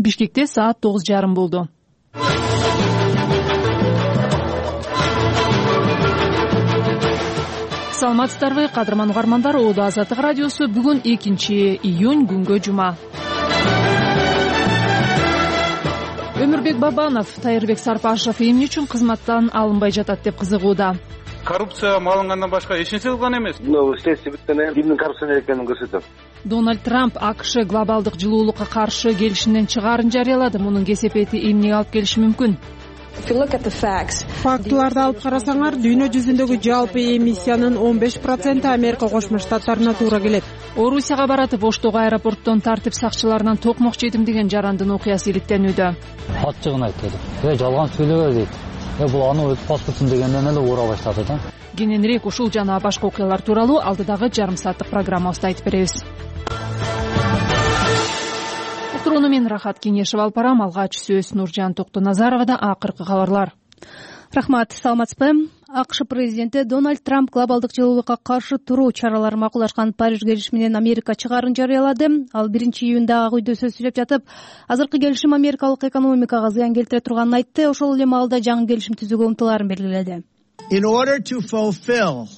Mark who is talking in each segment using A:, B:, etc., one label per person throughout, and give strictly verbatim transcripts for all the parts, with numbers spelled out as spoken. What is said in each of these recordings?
A: Бишкекте саат тогуз жарым болду. Саламатсыздарбы, кадырман угармандар. Оодо Азаттык радиосу бүгүн экинчи июнь күнгө жума. Өмүрбек Бабанов Тайырбек Сарпашев эмне үчүн кызматтан алынбай жатат деп кызыгууда.
B: Коррупция малынгандан башка эч нерсе кылган эмес.
C: Мына следствие бүткөндөн кийин кимдин коррупционер экенин көрсөтөт.
A: Дональд Трамп АКШ глобалдык жылуулукка каршы келишимден чыгаарын жарыялады. Мунун кесепети эмнеге алып келиши мүмкүн?
D: Фактыларды алып карасаңар, дүйнө жүзүндөгү жалпы эмиссиянын он беш проценти Америка Кошмо Штаттарына туура келет.
A: Орусияга баратып Оштогу аэропорттон тартип сакчыларынан токмок жедим деген жарандын окуясы иликтенүүдө.
E: Ачыгын айтты. Э, жалган сүйлөбө дейт. Э, бул аны өз паспортун дегенден эле ура баштады да.
A: Кененирээк ушул жана башка окуялар тууралуу алдыдагы жарым сааттык программабызда айтып беребиз. Уктурууну мен Рахат Кенешева алып барам. Алгач сөз Нуржан Токтоназаровада. Акыркы кабарлар.
F: Рахмат, саламатсызбы? АКШ президенти Дональд Трамп глобалдык жылуулукка каршы туруу чараларын макулдашкан Париж келишиминен Америка чыгаарын жарыялады. Ал биринчи июнда Ак үйдө сөз сүйлөп жатып, азыркы келишим америкалык экономикага зыян келтире турганын айтты. Ошол эле маалда жаңы келишим түзүүгө умтулаарын белгиледи.
G: In order to fulfill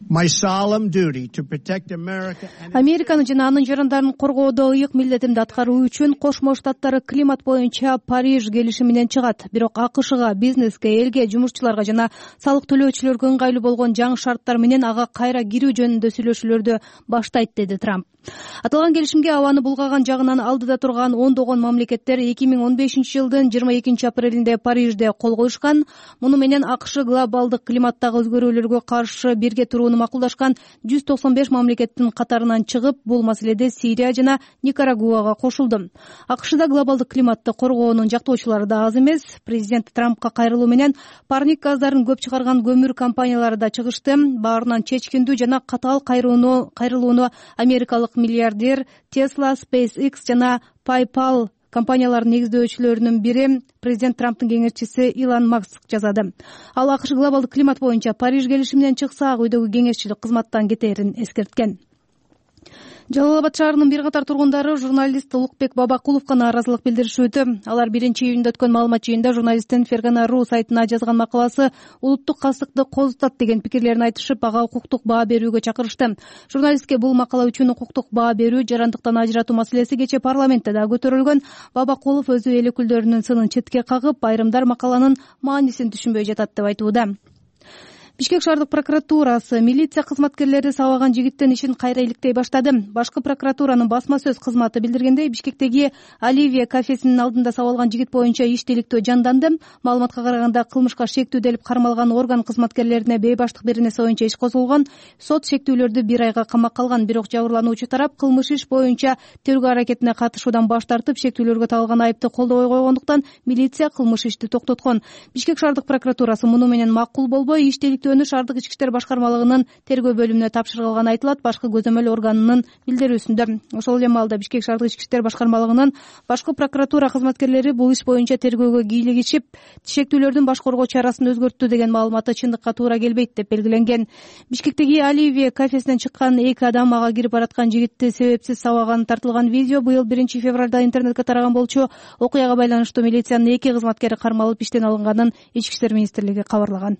G: my solemn duty to protect America and
F: Американы жана анын жарандарын коргоодо ыйык милдетимди аткаруу үчүн Кошмо Штаттары климат боюнча Париж келишиминен чыгат. Бирок АКШга, бизнеске, элге, жумушчуларга жана салык төлөөчүлөргө ыңгайлуу болгон жаңы шарттар менен ага кайра кирүү жөнүндө сүйлөшүүлөрдү баштайт, деди Трамп. Аталган келишимге абаны булгаган жагынан алдыда турган ондогон мамлекеттер эки миң он бешинчи жылдын жыйырма экинчи апрелинде Парижде кол коюшкан. Муну менен АКШ глобалдык климаттагы өзгөрүүлөргө каршы бирге турууну макулдашкан жүз токсон беш мамлекеттин катарынан чыгып, бул маселеде Сирия жана Никарагуага кошулду. АКШда глобалдык климатты коргоонун жактоочулары да аз эмес. Президент Трампка кайрылуу менен парник газдарын көп чыгарган көмүр компаниялары да чыгышты. Баарынан чечкиндүү жана катаал кайрылууну кайрылууну америкалык миллиардер Tesla, SpaceX жана PayPal компанияларынын негиздөөчүлөрүнүн бири президент Трамптын кеңешчиси Илон Маск жазады. Ал АКШ глобалдык климат боюнча Париж келишиминен чыкса, Ак үйдөгү кеңешчилик кызматтан кетерин эскерткен. Жалал Абад шаарынын бир катар тургундары журналист Улукбек Бабакуловго нааразылык билдиришүүдө. Алар биринчи июнда өткөн маалымат жыйынында журналисттин Фергана ру сайтына жазган макаласы улуттук кастыкты козутат деген пикирлерин айтышып, ага укуктук баа берүүгө чакырышты. Журналистке бул макала үчүн укуктук баа берүү, жарандыктан ажыратуу маселеси кечээ парламентте да көтөрүлгөн. Бабакулов өзү эл өкүлдөрүнүн сынын четке кагып, айрымдар макаланын маанисин түшүнбөй жатат деп айтууда. Бишкек шаардык прокуратурасы милиция кызматкерлери сабаган жигиттин ишин кайра иликтей баштады. Башкы прокуратуранын басма сөз кызматы билдиргендей, Бишкектеги Оливия кафесинин алдында сабалган жигит боюнча иш тиликтөө жанданды. Маалыматка караганда, кылмышка шектүү делип кармалган орган кызматкерлерине бейбаштык бир нерсе боюнча иш козголгон. Сот шектүүлөрдү бир айга камакка алган, бирок жабырлануучу тарап кылмыш иш боюнча тергөө аракетине катышуудан баш тартып, шектүүлөргө тагылган айыпты колдобой койгондуктан милиция кылмыш ишти токтоткон. Бишкек шаардык прокуратурасы муну менен макул болбой, иш тиликтөөнү шаардык ички иштер башкармалыгынын тергөө бөлүмүнө тапшырылганы айтылат. Башкы көзөмөл органынын билдирүүсүндө. Ошол эле маалда Бишкек шаардык ички иштер башкармалыгынын башкы прокуратура кызматкерлери бул иш боюнча тергөөгө кийлигишип, шектүүлөрдүн баш коргоо чарасын өзгөрттү деген маалыматы чындыкка туура келбейт деп белгиленген. Бишкектеги Оливия кафесинен чыккан эки адам ага кирип бараткан жигитти себепсиз сабаганы тартылган видео быйыл биринчи февралда интернетке тараган болчу. Окуяга байланыштуу милициянын эки кызматкери кармалып иштен алынганын Ички иштер министрлиги кабарлаган.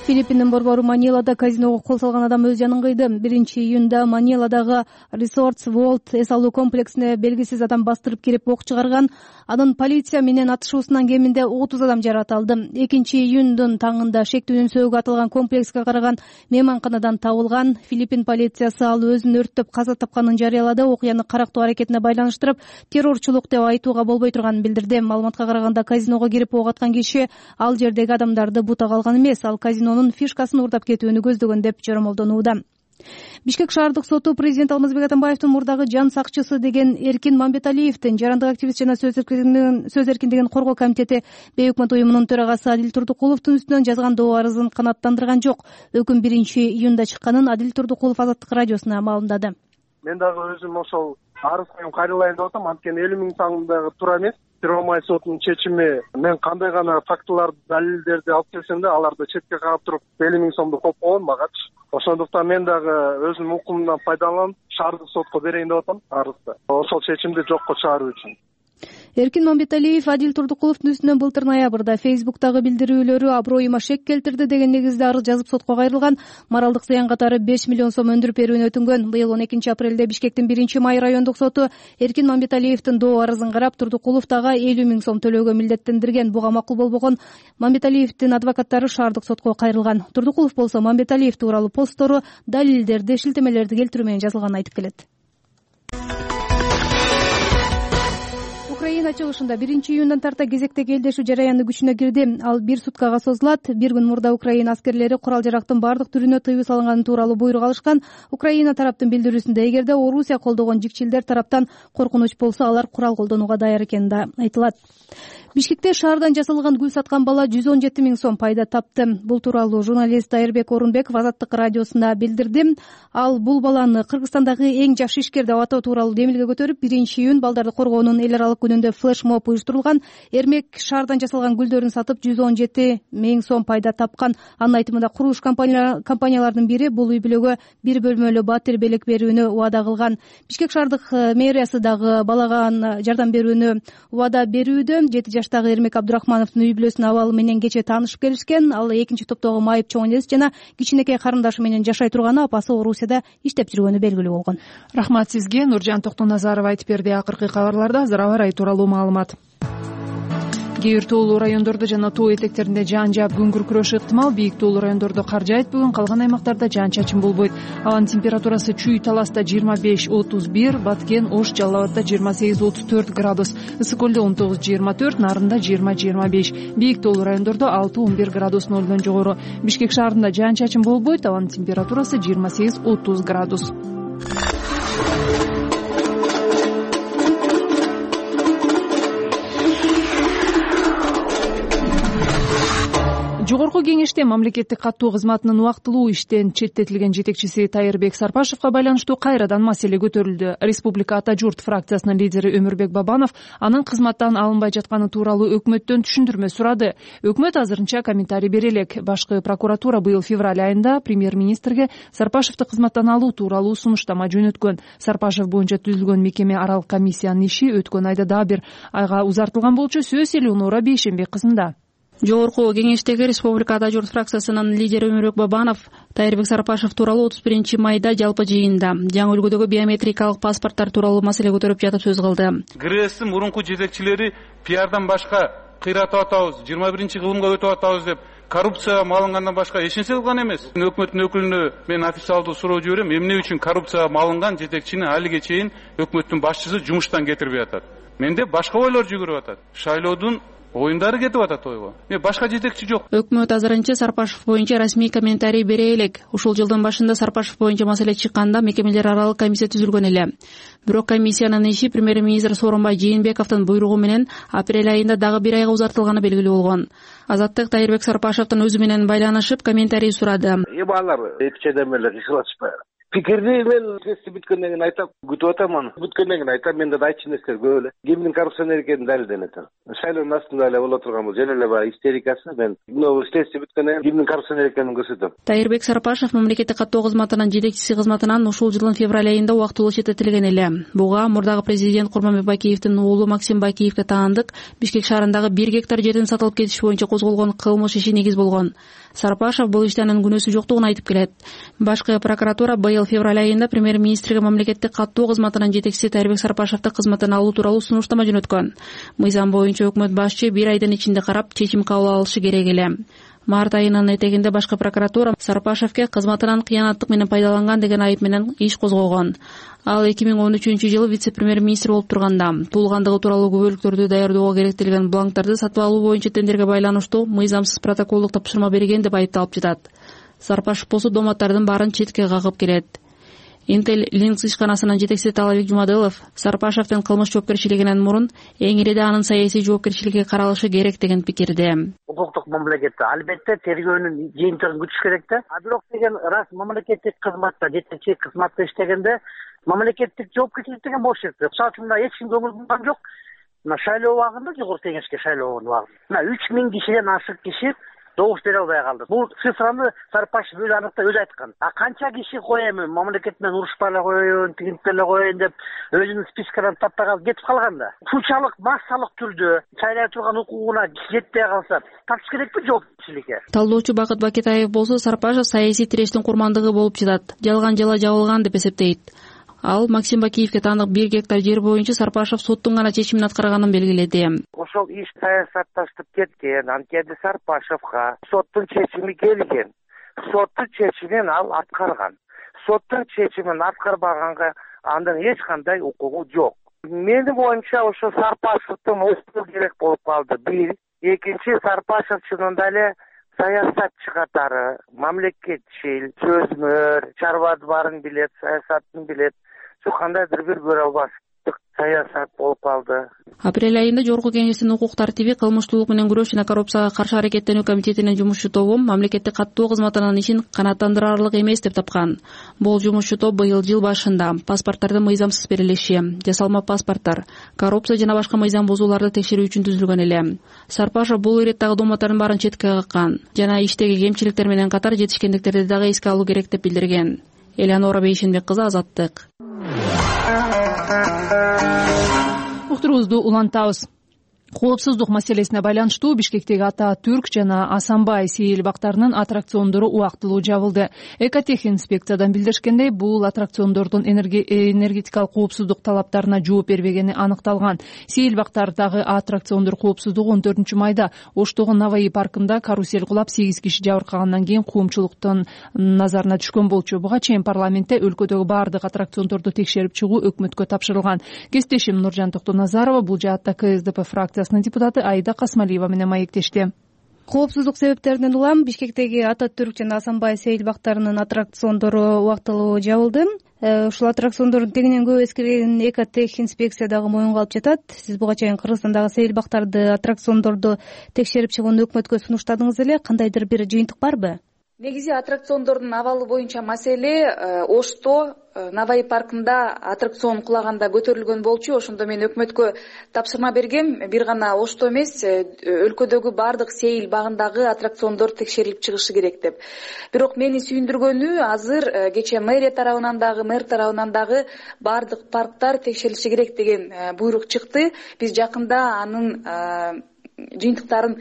F: Филиппиндин борбору Манилада казиного кол салган адам өз жанын кыйды. биринчи июнда Маниладагы Resorts World эс алуу комплексине белгисиз адам бастырып кирип ок чыгарган. Анын полиция менен атышуусунан кеминде отуз адам жаракат алды. экинчи июндун таңында шектүүнүн сөөгү атылган комплекске караган мейманканадан табылган. Филиппин полициясы ал өзүн өрттөп каза тапканын жарыялады. Окуяны карактоо аракетине байланыштырып, террорчулук деп айтууга болбой турганын билдирди. Маалыматка караганда, казиного кирип ок аткан киши ал жердеги адамдарды бутага алган эмес, ал казинонун фишкасын уурдап кетүүнү көздөгөн деп жоромолдонууда. Бишкек шаардык соту президент Алмазбек Атамбаевдин мурдагы жан сакчысы деген Эркин Мамбеталиевдин жарандык активист жана сөз эркиндигин сөз эркиндигин коргоо комитети бейөкмөт уюмунун төрагасы Адил Турдукуловдун үстүнөн жазган доо арызын канааттандырган жок. Өкүм биринчи июнда чыкканын Адил Турдукулов Азаттык радиосуна маалымдады.
C: Мен дагы өзүм ошол арыз коюм кайрылайын деп атам, анткени элүү миң сандагы туура эмес. Первомай сотунун чечими, мен кандай гана фактыларды, далилдерди алып келсем да, аларды четке кагып туруп элүү миң сомду коюп койгон магачы. Ошондуктан мен дагы өзүмдүн укугумдан пайдаланып шаардык сотко берейин деп атам арызды, ошол чечимди жокко чыгаруу үчүн.
F: Эркин Мамбеталиев Адил Турдукуловдун үстүнөн былтыр ноябрда Фейсбуктагы билдирүүлөрү аброюма шек келтирди деген негизде арыз жазып сотко кайрылган. Моралдык зыян катары беш миллион сом өндүрүп берүүнү өтүнгөн. Быйыл он экинчи апрелде Бишкектин биринчи май райондук соту Эркин Мамбеталиевдин доо арызын карап, Турдукулов дагы элүү миң сом төлөөгө милдеттендирген. Буга макул болбогон Мамбеталиевдин адвокаттары шаардык сотко кайрылган. Турдукулов болсо Мамбеталиев тууралуу посттору далилдерди, шилтемелерди келтирүү менен жазылганын айтып келет. Украина чыгышында биринчи июндан тарта кезектеги элдешүү жараяны күчүнө кирди. Ал бир суткага созулат. Бир күн мурда Украина аскерлери курал жарактын бардык түрүнө тыюу салынганы тууралуу буйрук алышкан. Украина тараптын билдирүүсүндө эгерде Орусия колдогон жикчилдер тараптан коркунуч болсо, алар курал колдонууга даяр экени да айтылат. Бишкекте шаардан жасалган гүл саткан бала жүз он жети миң сом пайда тапты. Бул тууралуу журналист Айырбек Орунбеков Азаттык радиосуна билдирди. Ал бул баланы Кыргызстандагы эң жаш ишкер деп атоо тууралуу демилге көтөрүп, биринчи июнь балдарды коргоонун эл аралык күнүндө флешмоб уюштурулган. Эрмек шаардан жасалган гүлдөрүн сатып жүз он жети миң сом пайда тапкан. Анын айтымында курулуш компанияларынын бири бул үй бүлөгө бир бөлмөлүү батир белек берүүнү убада кылган. Бишкек шаардык мэриясы дагы балага жардам берүүнү убада берүүдө. жети жаштагы Эрмек Абдурахмановдун үй бүлөсүнүн абалы менен кечээ таанышып келишкен. Ал экинчи топтогу майып чоң энеси жана кичинекей карындашы менен жашай турганы, апасы Орусияда иштеп жүргөнү белгилүү болгон.
A: Рахмат сизге. Нуржан Токтоназарова айтып берди. Акыркы кабарларда азыр аба ырайы тууралуу маалымат. Кээ бир тоолуу райондордо жана тоо этектеринде жаан жаап күн күркүрөшү ыктымал. Бийик тоолуу райондордо кар жаайт бүгүн, калган аймактарда жаан-чачын болбойт. Абанын температурасы Чүй Таласта жыйырма беш отуз бир, Баткен, Ош, Жалал Абадда жыйырма сегиз отуз төрт градус, Ысык көлдө он тогуз жыйырма төрт, Нарында жыйырма жыйырма беш. Бийик тоолуу райондордо алты он бир градус нолдон жогору. Бишкек шаарында жаан-чачын болбойт. Абанын температурасы жыйырма сегиз отуз градус. Жогорку кеңеште мамлекеттик каттоо кызматынын убактылуу иштен четтетилген жетекчиси Тайырбек Сарпашевга байланыштуу кайрадан маселе көтөрүлдү. Республика Ата журт фракциясынын лидери Өмүрбек Бабанов анын кызматтан алынбай жатканы тууралуу өкмөттөн түшүндүрмө сурады. Өкмөт азырынча комментарий бере элек. Башкы прокуратура быйыл февраль айында премьер-министрге Сарпашевди кызматтан алуу тууралуу сунуштама жөнөткөн. Сарпашев боюнча түзүлгөн мекеме аралык комиссиянын иши өткөн айда дагы бир айга узартылган болчу. Сөз Элеонора Бейшенбек кызында.
H: Жогорку кеңештеги Республика Ата журт фракциясынын лидери Өмүрбек Бабанов Тайырбек Сарпашев тууралуу отуз биринчи майда жалпы жыйында жаңы үлгүдөгү биометрикалык паспорттор тууралуу маселе көтөрүп жатып сөз кылды.
B: ГРЭСтин мурунку жетекчилери пиардан башка кыйратып атабыз, жыйырма биринчи кылымга өтүп атабыз деп коррупцияга малынгандан башка эч нерсе кылган эмес. Өкмөттүн өкүлүнө мен официалдуу суроо жиберем, эмне үчүн коррупцияга малынган жетекчини алиге чейин өкмөттүн башчысы жумуштан кетирбей атат. Менде башка ойлор жүгүрүп атат. Шайлоодун оюндары кетип атат ойго. Мен башка жетекчи жок.
H: Өкмөт азырынча Сарпашев боюнча расмий комментарий бере элек. Ушул жылдын башында Сарпашев боюнча маселе чыкканда мекемелер аралык комиссия түзүлгөн эле. Бирок комиссиянын иши премьер-министр Сооронбай Жээнбековдун буйругу менен апрель айында дагы бир айга узартылганы белгилүү болгон. Азаттык Тайырбек Сарпашевдин өзү менен байланышып комментарий сурады.
I: Эми алар эки чейден эле кыйшылашпайбы. Пикирди мен тести бүткөндөн кийин айтам, күтүп атам аны. Бүткөндөн кийин айтам, менде да айтчу нерселер көп эле. Кимдин коррупционер экени далилденет. Шайлоонун астында эле боло турган бул жөн эле баягы истерикасы. Мен мына тести бүткөндөн кийин кимдин коррупционер экенин көрсөтөм.
H: Тайырбек Сарпашев мамлекеттик каттоо кызматынын жетекчиси кызматынан ушул жылдын февраль айында убактылуу четтетилген эле. Буга мурдагы президент Курманбек Бакиевдин уулу Максим Бакиевге таандык Бишкек шаарындагы бир гектар жердин сатылып кетиши боюнча козголгон кылмыш иши негиз болгон. Сарпашев бул иште анын күнөөсү жоктугун айтып келет. Башкы прокуратура быйыл февраль айында премьер-министрге мамлекеттик каттоо кызматынын жетекчиси Тайырбек Сарпашевди кызматтан алуу тууралуу сунуштама жөнөткөн. Мыйзам боюнча өкмөт башчы бир айдын ичинде карап чечим кабыл алышы керек эле. Март айынын этегинде башкы прокуратура Сарпашевге кызматынан кыянаттык менен пайдаланган деген айып менен иш козгогон. Ал эки миң он үчүнчү жылы вице-премьер-министр болуп турганда туулгандыгы тууралуу күбөлүктөрдү даярдоого керектелген бланктарды сатып алуу боюнча тендерге байланыштуу мыйзамсыз протоколдук тапшырма берген деп айыпталып жатат. Сарпашев болсо доматтардын баарын четке кагып келет. Intel Links ишканасынын жетекчиси Талабек Жумадылов Сарпашевдин кылмыш жоопкерчилигинен мурун эң ириде анын саясий жоопкерчиликке каралышы керек деген пикирде.
I: Укуктук мамлекетте албетте тергөөнүн жыйынтыгын күтүш керек да. А бирок деген рас мамлекеттик кызматта, жетекчи кызматта иштегенде мамлекеттик жоопкерчилик деген болуш керек. Мисалы үчүн мына эч ким көңүл бурган жок. Мына шайлоо убагында жогорку кеңешке шайлоо убагында мына үч миң кишиден ашык киши добуш бере албай калды. Бул цифраны Сарыпашев өзү аныктай өзү айткан. А канча киши коем, мамлекет менен урушпай эле коеюн, тигинтип эле коеюн деп өзүнүн спискаларын таппай калып кетип калган да. Ушунчалык массалык түрдө сайлай турган укугуна жетпей калса, тапш керекпи жоопкерчиликке?
H: Талдоочу Бакыт Бакетаев болсо Сарыпашев саясий тирештин курмандыгы болуп жатат, жалган жала жабылган деп эсептейт. Ал Максим Бакиевке таандык бир гектар жер боюнча Сарыпашев соттун гана чечимин аткарганын белгиледи.
I: Ошол иш саясатташтып кеткен, анткени Сарыпашевга соттун чечими келген. Соттун чечимин ал аткарган. Соттун чечимин аткарбаганга андан эч кандай укугу жок. Менин оюмча ошо Сарыпашевдин ошол керек болуп калды. Бир, экинчи, Сарыпашев чынында эле саясатчы катары, мамлекетчил, сөзмөр, чарбады баарын билет, саясатын билет. Şu кандайдыр бир көрө албастык саясат болуп калды.
H: Апрель айында Жогорку Кеңештин укук тартиби, кылмыштуулук менен күрөш жана коррупцияга каршы аракеттенүү комитетинин жумушчу тобу мамлекеттик каттоо кызматынын ишин канааттандырарлык эмес деп тапкан. Бул жумушчу топ быйыл жыл башында паспорттардын мыйзамсыз берилиши, жасалма паспорттор, коррупция жана башка мыйзам бузууларды текшерүү үчүн түзүлгөн эле. Сарыпашев бул иреттагы дооматтардын баарын четке каккан жана иштеги кемчиликтер менен катар жетишкендиктерди дагы эске алуу керек деп билдирген. Элеонора Бейшенбек кызы, Азаттык.
A: Уктуруубузду улантабыз. Коопсуздук маселесине байланыштуу Бишкектеги Ата Түрк жана Асанбай сейил бактарынын аттракциондору убактылуу жабылды. Экотех инспекциядан билдиришкендей, бул аттракциондордун энергетикалык коопсуздук талаптарына жооп бербегени аныкталган. Сейил бактардагы аттракциондор коопсуздугу он төртүнчү майда Оштогу Наваи паркында карусель кулап сегиз киши жабыркагандан кийин коомчулуктун назарына түшкөн болчу. Буга чейин парламентте өлкөдөгү баардык аттракциондорду текшерип чыгуу өкмөткө тапшырылган. Кесиптешим Нуржан Токтоназарова бул жаатта ка эс дэ пэ фракциясынын депутаты Айда Касмалиева менен маектешти.
F: Коопсуздук себептеринен улам Бишкектеги Ата Түрк жана Асанбай сейил бактарынын аттракциондору убактылуу жабылды. Ушул аттракциондордун тегинен көп эскирген Экотех инспекция дагы моюнга алып жатат. Сиз буга чейин Кыргызстандагы сейил бактарды, аттракциондорду текшерип чыгууну өкмөткө сунуштадыңыз эле. Кандайдыр бир жыйынтык барбы?
J: Негизи аттракциондордун абалы боюнча маселе Ошто Наваи паркында аттракцион кулаганда көтөрүлгөн болчу. Ошондо мен өкмөткө тапшырма бергем. Бир гана Ошто эмес, өлкөдөгү баардык сейил багындагы аттракциондор текшерилип чыгышы керек деп. Бирок мени сүйүндүргөнү азыр кечээ мэрия тарабынан дагы, мэр тарабынан дагы баардык парктар текшерилиши керек деген буйрук чыкты. Биз жакында анын жыйынтыктарын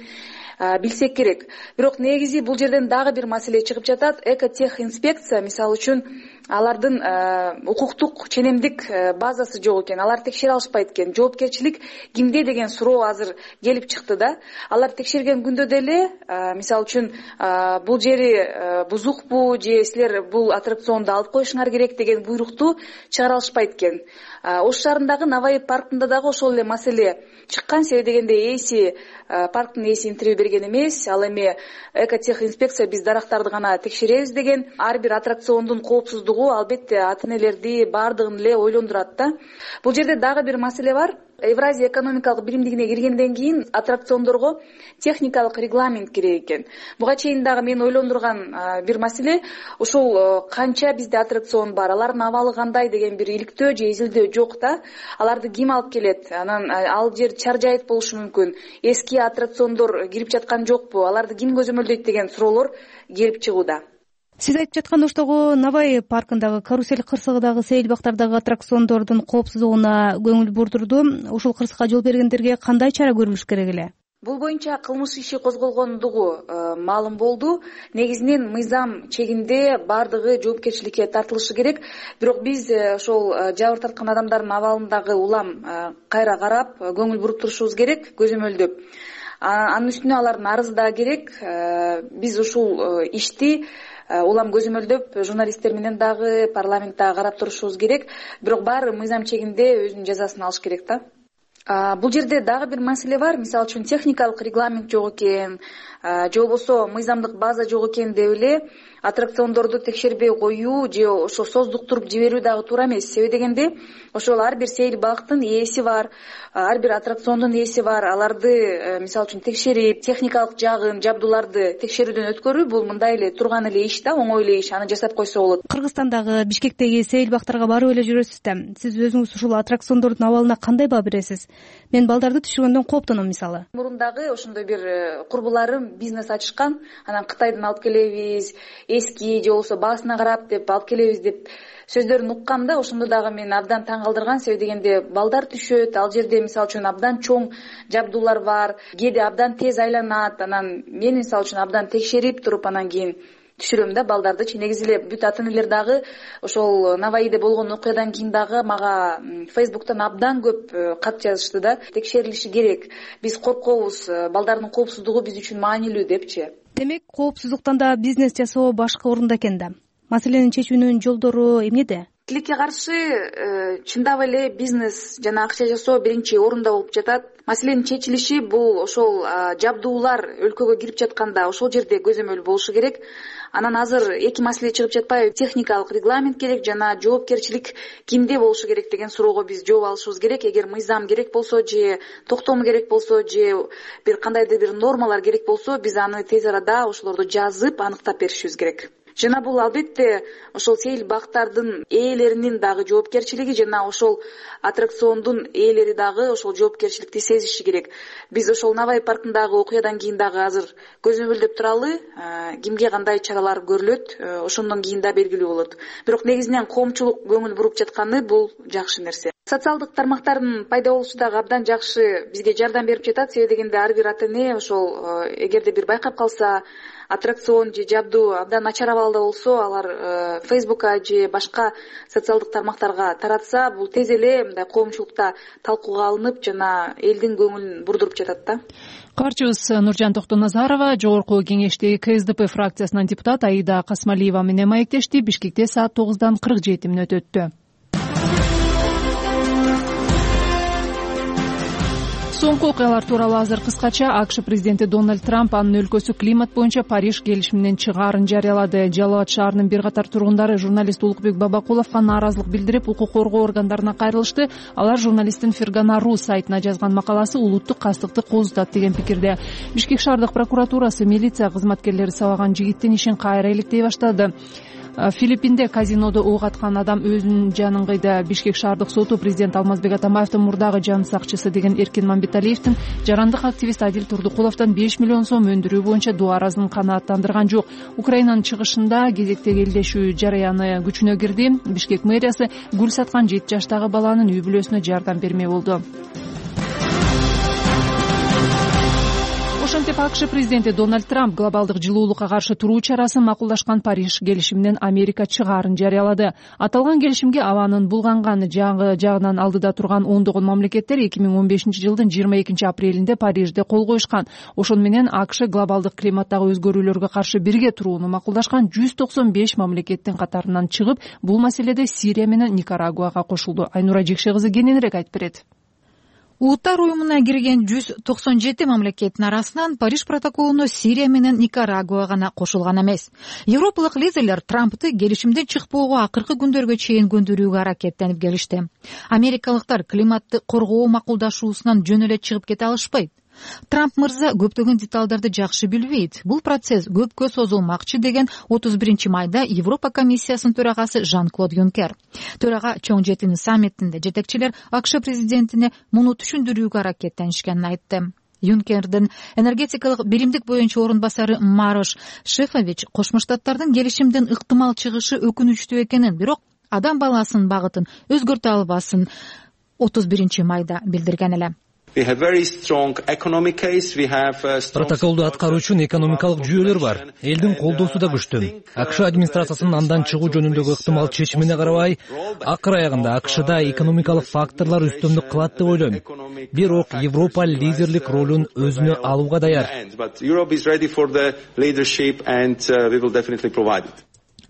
J: билсек керек. Бирок негизи бул жерден дагы бир маселе чыгып жатат. Экотех инспекция, мисалы үчүн, алардын укуктук ченемдик базасы жок экен. Алар текшере алышпайт экен. Жоопкерчилик кимде деген суроо азыр келип чыкты да. Алар текшерген күндө деле, мисалы үчүн, бул жери бузукпу же силер бул аттракционду алып коюшуңар керек деген буйрукту чыгара алышпайт экен. Ош шаарындагы Наваи паркында дагы ошол эле маселе чыккан. Себеби дегенде ээси, парктын ээси интервью берген эмес. Ал эми Экотех инспекция биз дарактарды гана текшеребиз деген. Ар бир аттракциондун коопсуздугу албетте ата-энелерди баардыгын эле ойлондурат да. Бул жерде дагы бир маселе бар. Евразия экономикалык биримдигине киргенден кийин аттракциондорго техникалык регламент керек экен. Буга чейин дагы мен ойлондурган бир маселе, ошол канча бизде аттракцион бар, алардын абалы кандай деген бир иликтөө же изилдөө жок да. Аларды ким алып келет? Анан ал жер чаржайыт болушу мүмкүн. Эски аттракциондор кирип жаткан жокпу? Аларды ким көзөмөлдөйт деген суроолор келип чыгууда.
F: Сиз айтып жаткан Оштогу Наваи паркындагы карусель кырсыгындагы сейил бактардагы аттракциондордун коопсуздугуна көңүл бурдурду. Ушул кырсыкка жол бергендерге кандай чара көрүлүш керек эле?
J: Бул боюнча кылмыш иши козголгондугу маалым болду. Негизинен мыйзам чегинде баардыгы жоопкерчиликке тартылышы керек. Бирок биз ошол жабыр тарткан адамдардын абалындагы улам кайра карап, көңүл буруп турушубуз керек, көзөмөлдөп. Анын үстүнө алардын арызы да керек. Биз ушул ишти улам көзөмөлдөп, журналисттер менен дагы парламентте карап турушубуз керек. Бирок баары мыйзам чегинде өзүнүн жазасын алыш керек да. Бул жерде дагы бир маселе бар. Мисалы үчүн техникалык регламент жок экен, же болбосо мыйзамдык база жок экен деп эле аттракциондорду текшербей коюу же ошо создуктуруп жиберүү дагы туура эмес. Себеби дегенде ошол ар бир сейил бактын ээси бар, ар бир аттракциондун ээси бар. Аларды мисалы үчүн текшерип, техникалык жагын, жабдууларды текшерүүдөн өткөрүү бул мындай эле турган эле иш да, оңой эле иш. Аны жасап койсо болот.
F: Кыргызстандагы Бишкектеги сейил бактарга барып эле жүрөсүз да. Сиз өзүңүз ушул аттракциондордун абалына кандай баа бересиз? Мен балдарды түшүргөндөн кооптоном мисалы.
J: Мурун дагы ошондой бир курбуларым бизнес ачышкан. Анан Кытайдан алып келебиз, эски же болбосо баасына карап деп алып келебиз деп сөздөрүн уккам да. Ошондо дагы мени абдан таң калтырган. Себеби дегенде балдар түшөт, ал жерде мисалы үчүн абдан чоң жабдуулар бар, кээде абдан тез айланат. Анан мен мисалы үчүн абдан текшерип туруп анан кийин түшүрөм да балдардычы. Негизи эле бүт ата энелер дагы ошол Наваиде болгон окуядан кийин дагы мага Фейсбуктан абдан көп кат жазышты да. Текшерилиши керек. Биз коркобуз, балдардын коопсуздугу биз үчүн маанилүү депчи.
F: Демек, коопсуздуктан да бизнес жасоо башка орунда экен да. Маселени чечүүнүн жолдору эмнеде?
J: Тилекке каршы чындап эле бизнес жана акча жасоо биринчи орунда болуп жатат. Маселенин чечилиши бул ошол жабдуулар өлкөгө кирип жатканда ошол жерде көзөмөл болушу керек. Анан азыр эки маселе чыгып жатпайбы? Техникалык регламент керек жана жоопкерчилик кимде болушу керек деген суроого биз жооп алышыбыз керек. Эгер мыйзам керек болсо же токтому керек болсо же бир кандайдыр бир нормалар керек болсо биз аны тез арада ошолорду жазып аныктап беришибиз керек. Жана бул албетте ошол сейил бактардын ээлеринин дагы жоопкерчилиги жана ошол аттракциондун ээлери дагы ошол жоопкерчиликти сезиши керек. Биз ошол Навай паркындагы окуядан кийин дагы азыр көзөмөлдөп туралы, кимге кандай чаралар көрүлөт, ошондон кийин да белгилүү болот. Бирок негизинен коомчулук көңүл буруп жатканы бул жакшы нерсе. Социалдык тармактардын пайда болушу дагы абдан жакшы бизге жардам берип жатат. Себеби дегенде ар бир ата эне ошол эгерде бир байкап калса, аттракцион же жабдуу абдан начар абалда болсо, алар Фейсбукка же башка социалдык тармактарга таратса, бул тез эле мындай коомчулукта талкууга алынып жана элдин көңүлүн бурдуруп жатат да.
A: Кабарчыбыз Нуржан Токтоназарова Жогорку Кеңештеги КСДП фракциясынан депутат Аида Касмалиева менен маектешти. Бишкекте саат тогуздан кырк жети мүнөт өттү. Соңку окуялар тууралуу азыр кыскача. АКШ президенти Дональд Трамп анын өлкөсү климат боюнча Париж келишиминен чыгаарын жарыялады. Жалал Абад шаарынын бир катар тургундары журналист Улукбек Бабакуловго нааразылык билдирип, укук коргоо органдарына кайрылышты. Алар журналисттин Фергана Ру сайтына жазган макаласы улуттук кастыкты козутат деген пикирде. Бишкек шаардык прокуратурасы милиция кызматкерлери сабаган жигиттин ишин кайра иликтей баштады. Филиппинде казинодо ок аткан адам өзүнүн жанын кыйды. Бишкек шаардык соту президент Алмазбек Атамбаевдин мурдагы жан сакчысы деген Эркин Мамбеталиевдин жарандык активист Адил Турдукуловдон беш миллион сом өндүрүү боюнча доо аразын канааттандырган жок. Украинанын чыгышында кезектеги элдешүү жараяны күчүнө кирди. Бишкек мэриясы гүл саткан жети жаштагы баланын үй бүлөсүнө жардам бермей болду. Ошентип АКШ президенти Дональд Трамп глобалдык жылуулукка каршы туруу чарасын макулдашкан Париж келишиминен Америка чыгаарын жарыялады. Аталган келишимге абанын булганган жагынан алдыда турган ондогон мамлекеттер эки миң он бешинчи жылдын жыйырма экинчи апрелинде Парижде кол коюшкан. Ошону менен АКШ глобалдык климаттагы өзгөрүүлөргө каршы бирге турууну макулдашкан жүз токсон беш мамлекеттин катарынан чыгып, бул маселеде Сирия менен Никарагуага кошулду. Айнура Жекше кызы кененирээк айтып берет.
K: Улуттар уюмуна кирген жүз токсон жети мамлекеттин арасынан Париж протоколуна Сирия менен Никарагуа гана кошулган эмес. Европалык лидерлер Трампты келишимден чыкпоого акыркы күндөргө чейин көндүрүүгө аракеттенип келишти. Америкалыктар климатты коргоо макулдашуусунан жөн эле чыгып кете алышпайт. Трамп мырза көптөгөн деталдарды жакшы билбейт. Бул процесс көпкө созулмакчы деген отуз биринчи майда Европа комиссиясынын төрагасы Жан-Клод Юнкер. Төрага чоң жетини саммитинде жетекчилер АКШ президентине муну түшүндүрүүгө аракеттенишкенин айтты. Юнкердин энергетикалык биримдик боюнча орун басары Марош Шефович Кошмо Штаттардын келишимден ыктымал чыгышы өкүнүчтүү экенин, бирок адам баласынын багытын өзгөртө албасын отуз биринчи майда билдирген эле.
L: Протоколду аткаруу үчүн экономикалык жүйөлөр бар. Элдин колдоосу да күчтүү. АКШ администрациясынын андан чыгуу жөнүндөгү ыктымал чечимине карабай, акыр аягында АКШда экономикалык факторлор үстөмдүк кылат деп ойлойм. Бирок Европа лидерлик ролун өзүнө алууга даяр.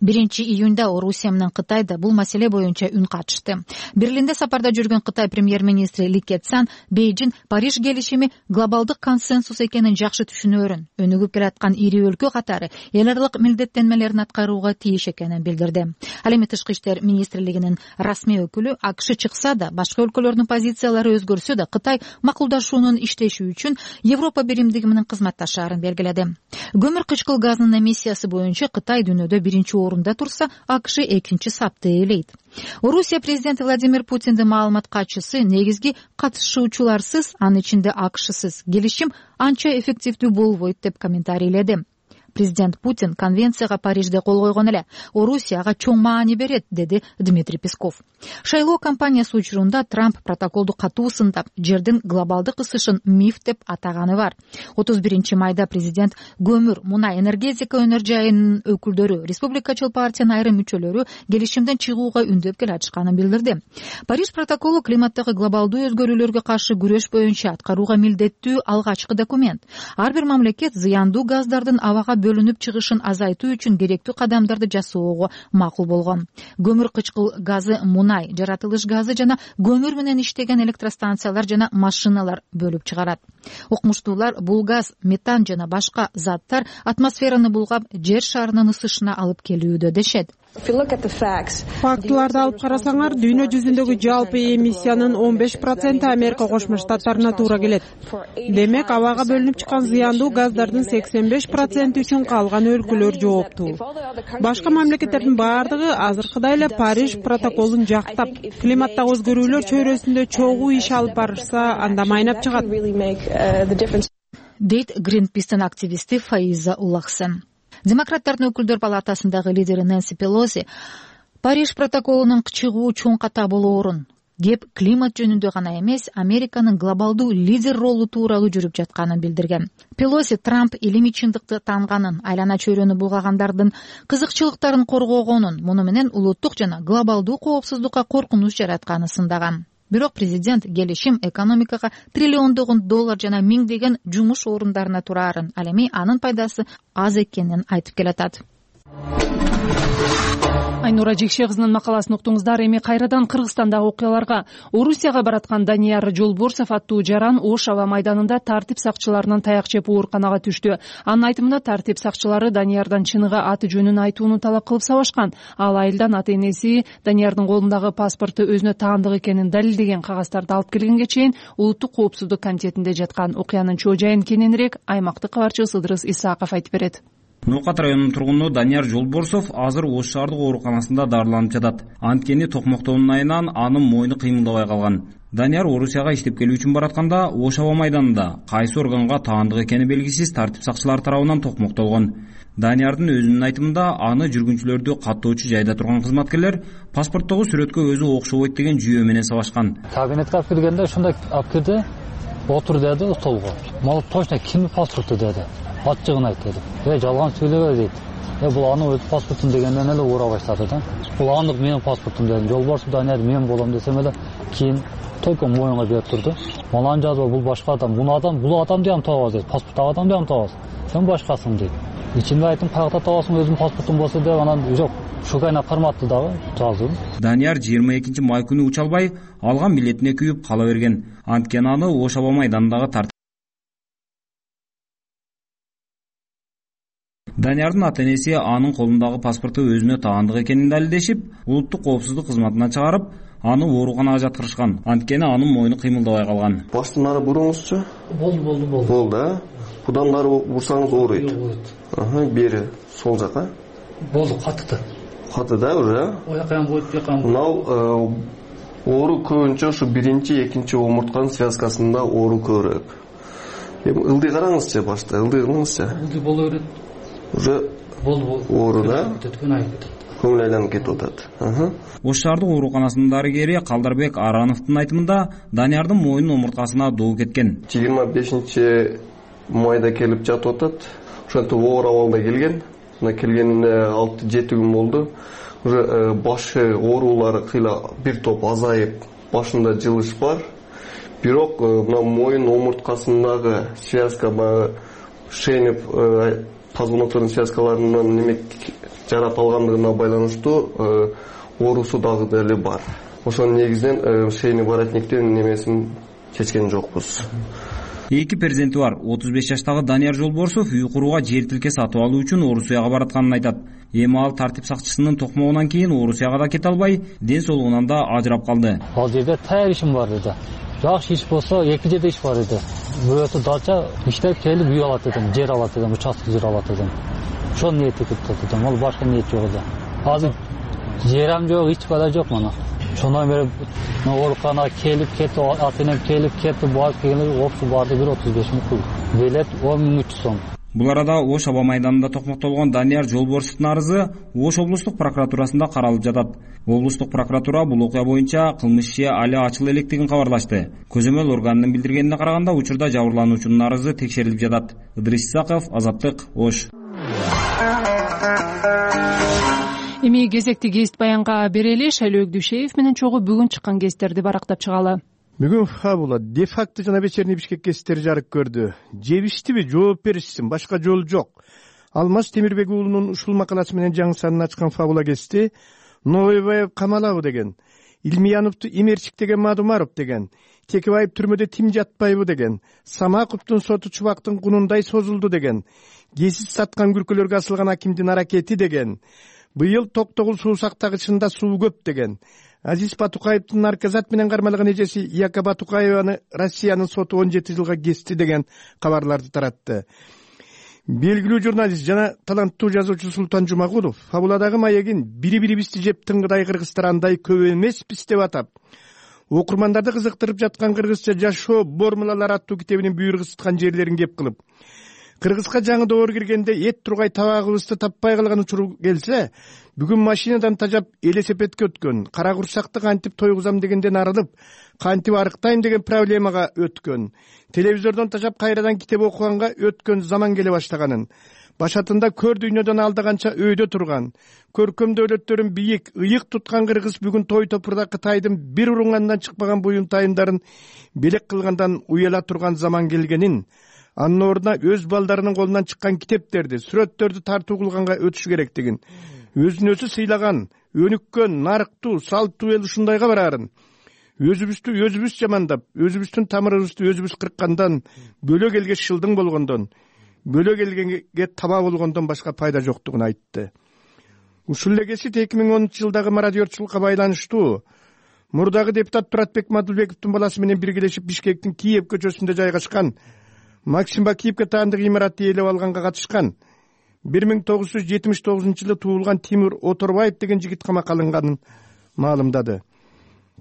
K: биринчи июнда Орусия менен Кытай да бул маселе боюнча үн катышты. Берлинде сапарда жүргөн Кытай премьер-министри Ли Кэцян Бейжин Париж келишими глобалдык консенсус экенин жакшы түшүнөөрүн, өнүгүп келаткан ири өлкө катары эл аралык милдеттенмелерин аткарууга тийиш экенин билдирди. Ал эми Тышкы иштер министрлигинин расмий өкүлү АКШ чыкса да, башка өлкөлөрдүн позициялары өзгөрсө да Кытай макулдашуунун иштеши үчүн Европа биримдиги менен кызматташаарын белгиледи. Көмүр кычкыл газынын эмиссиясы боюнча Кытай дүйнөдө биринчи орунда турса, АКШ экинчи сапты ээлейт. Орусия президенти Владимир Путиндин маалымат катчысы негизги катышуучуларсыз, анын ичинде АКШсыз келишим анча эффективдүү болбойт деп комментарийледи. Президент Путин конвенцияга Парижде кол койгон эле. Орусияга чоң маани берет, деди Дмитрий Песков. Шайлоо кампаниясы учурунда Трамп протоколду катуу сындап, жердин глобалдык ысышын миф деп атаганы бар. отуз биринчи майда президент көмүр, мунай, энергетика өнөр жайынын өкүлдөрү, республикачыл партиянын айрым мүчөлөрү келишимден чыгууга үндөп келатышканын билдирди. Париж протоколу климаттагы глобалдуу өзгөрүүлөргө каршы күрөш боюнча аткарууга милдеттүү алгачкы документ. Ар бир мамлекет зыяндуу газдардын абага бөлүнүп чыгышын азайтуу үчүн керектүү кадамдарды жасоого макул болгон. Көмүр кычкыл газы, мунай, жаратылыш газы жана көмүр менен иштеген электростанциялар жана машиналар бөлүп чыгарат. Укмуштуулар бул газ, метан жана башка заттар атмосфераны булгап, жер шарынын ысышына алып келүүдө дешет.
D: Фактыларды алып карасаңар, дүйнө жүзүндөгү жалпы эмиссиянын он беш проценти Америка Кошмо Штаттарына туура келет. Демек, абага бөлүнүп чыккан зыяндуу газдардын сексен беш проценти үчүн калган өлкөлөр жооптуу. Башка мамлекеттердин баардыгы азыркыдай эле Париж протоколун жактап, климаттагы өзгөрүүлөр чөйрөсүндө чогуу иш алып барышса, анда майнап чыгат,
K: дейт Greenpeace'тин активисти Фаиза Уллахсен. Демократтардын өкүлдөр палатасындагы лидери Нэнси Пелоси Париж протоколунун чыгуу чоң ката болоорун, кеп климат жөнүндө гана эмес, Американын глобалдуу лидер ролу тууралуу жүрүп жатканын билдирген. Пелоси Трамп илимий чындыкты таанганын, айлана чөйрөнү булгагандардын кызыкчылыктарын коргогонун, муну менен улуттук жана глобалдуу коопсуздукка коркунуч жаратканын сындаган. Бирок президент келишим экономикага триллиондогон доллар жана миңдеген жумуш орундарына турарын, ал эми анын пайдасы аз экенин айтып келатат.
A: Айнура Жекше кызынын макаласын уктуңуздар. Эми кайрадан Кыргызстандагы окуяларга. Орусияга бараткан Данияр Жолборсов аттуу жаран Ош аба майданында тартип сакчыларынын таяк жеп ооруканага түштү. Анын айтымында тартип сакчылары Даниярдан чыныгы аты жөнүн айтууну талап кылып сабашкан. Ал айылдан ата энеси Даниярдын колундагы паспорту өзүнө таандык экенин далилдеген кагазтарды алып келгенге чейин улуттук коопсуздук комитетинде жаткан. Окуянын чоо жайын кененирээк аймактык кабарчыбыз Ыдырыс Исааков айтып берет.
M: Ноокат районунун тургуну Данияр Жолборсов азыр Ош шаардык ооруканасында дарыланып жатат. Анткени токмоктоонун айынан анын мойну кыймылдабай калган. Данияр Орусияга иштеп келүү үчүн баратканда Ош аба майданында кайсы органга таандык экени белгисиз тартип сакчылары тарабынан токмоктолгон. Даниярдын өзүнүн айтымында аны жүргүнчүлөрдү каттоочу жайда турган кызматкерлер паспорттогу сүрөткө өзү окшобойт деген жүйө менен сабашкан.
E: Кабинетке алып келгенде ушундай алып келди, отур деди столго. Мал точно кимдин паспорту деди. Ачыгын айт деди. Э, жалган сүйлөбө дейт. Э, бул анын өз паспортун дегенден эле уура баштады да. Бул анын менин паспортум дедим. Жолборсов Данияр мен болом десем эле кийин только моюнга берип турду. Малан жазба, бул башка адам. Бул адам, бул адамды ham табабыз дейт. Паспорттагы адамды ham табабыз. Сен башкасың дейт. Ичимде айттым, каяктан табасың, өзүм паспортум болсо деп, анан жок, шукайна карматты дагы, жаздым.
M: Данияр жыйырма экинчи май күнү уча албай, алган билетине күйүп кала берген. Анткени аны Ош аба майданындагы тартип Даниярдын ата энеси анын колундагы паспорту өзүнө таандык экенин далилдешип, улуттук коопсуздук кызматына чыгарып, аны ооруканага жаткырышкан. Анткени анын мойну кыймылдабай калган.
N: Баштан ары буруңузчу?
E: Болду, болду, болду.
N: Болду, а? Будан ары бурсаңыз ооруйт. Аха, бери сол жака.
E: Болду, катты.
N: Катты да уже?
E: Оякан болуп жакан.
N: Мынау оору көбүнчө ушу биринчи, экинчи омуртканын связкасында оору көбүрөөк. Эми ылдый караңызчы башта, ылдый кылыңызчы.
E: Ылдый боло берет.
N: Уже
E: болду.
N: Оору да?
E: Кетет.
N: Көңүл айланып кетип атат.
M: Ош шаардык ооруканасынын дарыгери Калдарбек Арановдун айтымында Даниярдын мойнунун омурткасына доо кеткен.
N: жыйырма бешинчи майда келип жатып атат. Ошентип оор абалда келген. Мына келгенине алты жети күн болду. Уже башы оорулары кыйла бир топ азайып, башында жылыш бар. Бирок мына мойын омурткасындагы связка шенип позвоночный связкаларынан неме жарап алгандыгына байланыштуу оорусу дагы деле бар. Ошонун негизинен шейный воротниктин немесин чечкен жокпуз.
M: Эки перзенти бар отуз беш жаштагы Данияр Жолборсов үй курууга жер тилке сатып алуу үчүн Орусияга баратканын айтат. Эми ал тартип сакчысынын токмогунан кийин Орусияга да кете албай, ден соолугунан да ажырап калды.
E: Ал жерде таяр ишим бар эди. Жакшы иш болсо эки жерде иш бар эди. Бирөөсү дача иштеп келип үй алат эдим, жер алат эдим, участок жер алат эдим. Ошону ниет этип турдум. Ал башка ниет жок эди. Азыр жерам жок, эч бала жок мына. Ошондон бери ооруканага келип кетип, атенем келип кетип, барып келгенде опсу барды бир отуз беш миң пул. Билет он миң үч жүз сом.
M: Бул арада Ош аба майданында токмоктолгон Данияр Жолборсовдун арызы Ош облустук прокуратурасында каралып жатат. Облустук прокуратура бул окуя боюнча кылмыш иши али ачыла электигин кабарлашты. Көзөмөл органынын билдиргенине караганда учурда жабырлануучунун арызы текшерилип жатат. Ыдырыс Исаков, Азаттык, Ош.
A: Эми кезекти кест баянга берели. Шайлоо Дүйшеев менен чогуу бүгүн чыккан кесттерди барактап чыгалы.
O: Бүгүн фабула де факто жана вечерний Бишкек кесттери жарык көрдү. Жебиштиби, жооп беришсин, башка жол жок. Алмаз Темирбек уулунун ушул макаласы менен жаңы санын ачкан фабула кести Новойбаев камалабы деген, Илмияновду Имерчик деген Мадумаров деген, Текебаев түрмөдө тим жатпайбы деген, Самаковдун соту чубактын кунундай созулду деген, кесип саткан күркөлөргө асылган акимдин аракети деген, быйыл Токтогул суу сактагычында суу көп деген, Азиз Батукаевдин наркозат менен кармалган эжеси Яка Батукаеваны Россиянын соту он жети жылга кести деген кабарларды таратты. Белгилүү журналист жана таланттуу жазуучу Султан Жумагулов фабуладагы маегин бири-бирибизди жеп тыңгыдай кыргыздар андай көп эмеспиз деп атап, окурмандарды кызыктырып жаткан кыргызча жашоо формулалары аттуу китебинин бүйүр кысыткан жерлерин кеп кылып, Кыргызга жаңы доор киргенде эт тургай табагыбызды таппай калган учур келсе, бүгүн машинадан тажап элесепетке өткөн, кара курсакты кантип тойгузам дегенден арылып, кантип арыктайм деген проблемага өткөн, телевизордон тажап кайрадан китеп окуганга өткөн заман келе баштаганын, башатында көр дүйнөдөн алдаганча өйдө турган, көркөм дөөлөттөрүн бийик, ыйык туткан кыргыз бүгүн той топурда Кытайдын бир уруңгандан чыкпаган буюмтайымдарын белек кылгандан уяла турган заман келгенин, анын ордуна өз балдарынын колунан чыккан китептерди, сүрөттөрдү тартуу кылганга өтүш керектигин, өзүн өзү сыйлаган, өнүккөн, нарыктуу, салттуу эл ушундайга бараарын, өзүбүздү өзүбүз жамандап, өзүбүздүн тамырыбызды өзүбүз кырккандан, бөлө келге шылдың болгондон, бөлө келгенге таба болгондон башка пайда жоктугун айтты. Ушул эле кесип эки миң онунчу жылдагы мародерчулукка байланыштуу мурдагы депутат Туратбек Мадылбековдун баласы менен биргелешип Бишкектин Киев көчөсүндө жайгашкан Максим Бакиевке таандык имаратты ээлеп алганга катышкан бир миң тогуз жүз жетимиш тогузунчу жылы туулган Тимур Оторбаев деген жигит камакка алынганын маалымдады.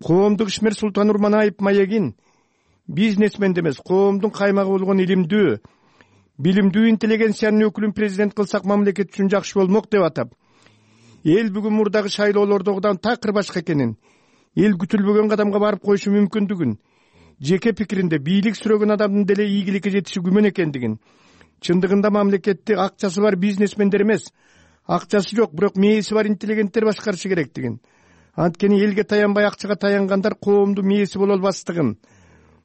O: Коомдук ишмер Султан Урманаев маегин бизнесмен эмес, коомдун каймагы болгон илимдүү, билимдүү интеллигенциянын өкүлүн президент кылсак мамлекет үчүн жакшы болмок деп атап, эл бүгүн мурдагы шайлоолордогудан такыр башка экенин, эл күтүлбөгөн кадамга барып коюшу мүмкүндүгүн, жеке пикиринде бийлик сүрөгөн адамдын деле ийгиликке жетиши күмөн экендигин, чындыгында мамлекетти акчасы бар бизнесмендер эмес, акчасы жок, бирок мээси бар интеллигенттер башкарышы керектигин, анткени элге таянбай акчага таянгандар коомдун мээси боло албастыгын,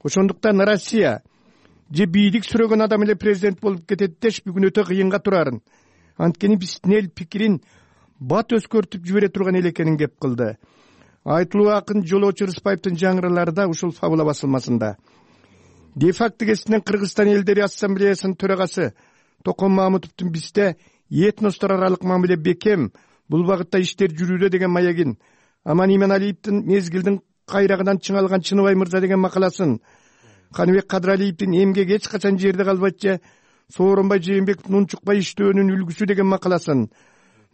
O: ошондуктан Россия же бийлик сүрөгөн адам эле президент болуп кетет деш бүгүн өтө кыйынга турарын, анткени биздин эл пикирин бат өзгөртүп жибере турган эл экенин кеп кылды. Айтылуу акын Жолоочу Рыспаевдин жаңыралары да ушул фабула басылмасында. Де факто кесинен Кыргызстан элдери ассамблеясынын төрагасы Токон Мамутовдун бизде этностор аралык мамиле бекем, бул багытта иштер жүрүүдө деген маегин, Аман Иманалиевдин мезгилдин кайрагынан чыңалган Чыныбай мырза деген макаласын, Каныбек Кадралиевдин эмгек эч качан жерде калбайт же Сооронбай Жээнбековдун унчукпай иштөөнүн үлгүсү деген макаласын,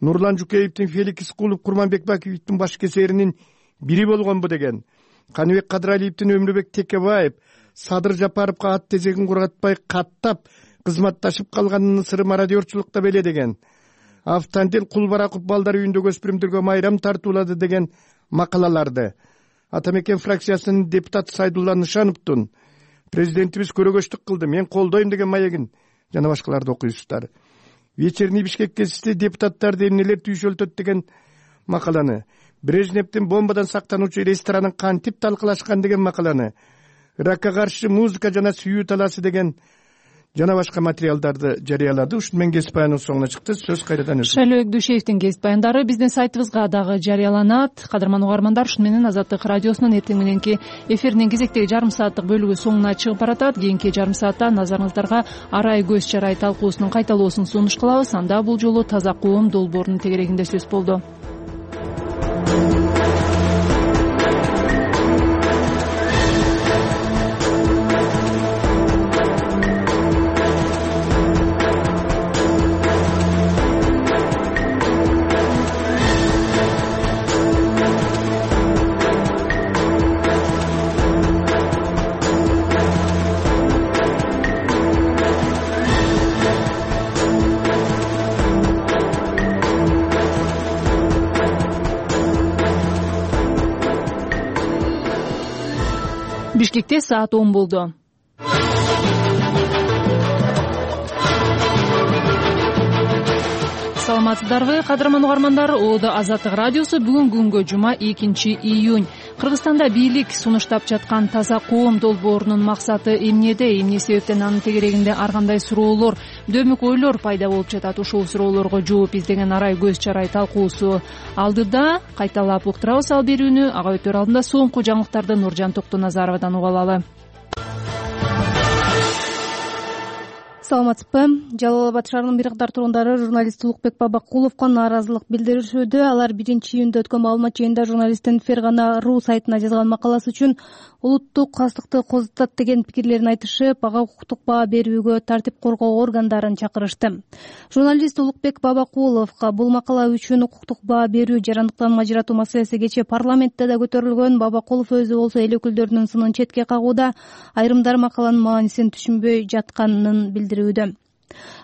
O: Нурлан Жукеевдин Феликс Кулов Курманбек Бакиевдин баш кесеринин бири болгонбу деген, Каныбек Кадралиевдин Өмүрбек Текебаев Садыр Жапаровго ат тезегин кургатпай каттап кызматташып калганынын сыры мародерчулукта беле деген, Автандел Кулбараков балдар үйүндөгү өспүрүмдөргө майрам тартуулады деген макалаларды, Атамекен фракциясынын депутаты Сайдулла Нышановдун президентибиз көрөгөчтүк кылды, мен колдойм деген маегин жана башкаларды окуйсуздар. Вечерний Бишкек кесисти депутаттарды эмнелер түйшөлтөт деген макаланы, Брежневдин бомбадан сактануучу ресторанын кантип талкалашкан деген макаланы, Иракка каршы музыка жана сүйүү талаасы деген жана башка материалдарды жарыялады. Ушуну менен кесип баянынын соңуна чыкты. Сөз кайрадан өзү.
A: Шайлоок Дүйшеевдин кесип баяндары биздин сайтыбызга дагы жарыяланат. Кадырман угармандар, ушуну менен Азаттык радиосунун эртең мененки эфиринин кезектеги жарым сааттык бөлүгү соңуна чыгып баратат. Кийинки жарым саатта назарыңыздарга арай көз чарай талкуусунун кайталоосун сунуш кылабыз. Анда бул жолу таза коом долбоорунун тегерегинде сөз болду. Бишкекте саат он болду. Саламатсыздарбы, кадырман угармандар? Оодо Азаттык радиосу бүгүн күнгө жума экинчи июнь. Кыргызстанда бийлик сунуштап жаткан таза коом долбоорунун максаты эмнеде? Эмне себептен анын тегерегинде ар кандай суроолор, дөмүк ойлор пайда болуп жатат? Ушул суроолорго жооп издеген арай көз чарай талкуусу алдыда кайталап уктурабыз. Ал берүүнү ага өтөр алдында соңку жаңылыктарды Нуржан Токтоназаровадан угуп алалы.
F: Саламатсызбы? Жалал Абад шаарынын бир катар тургундары журналист Улукбек Бабакуловго нааразылык билдиришүүдө. Алар биринчи июнда өткөн маалымат жыйынында журналисттин Фергана ру сайтына жазган макаласы үчүн улуттук кастыкты козутат деген пикирлерин айтышып, ага укуктук баа берүүгө тартип коргоо органдарын чакырышты. Журналист Улукбек Бабакуловго бул макала үчүн укуктук баа берүү, жарандыктан ажыратуу маселеси кечээ парламентте да көтөрүлгөн. Бабакулов өзү болсо эл өкүлдөрүнүн сынын четке кагууда, айрымдар макаланын маанисин түшүнбөй жатканын билдирүүдө.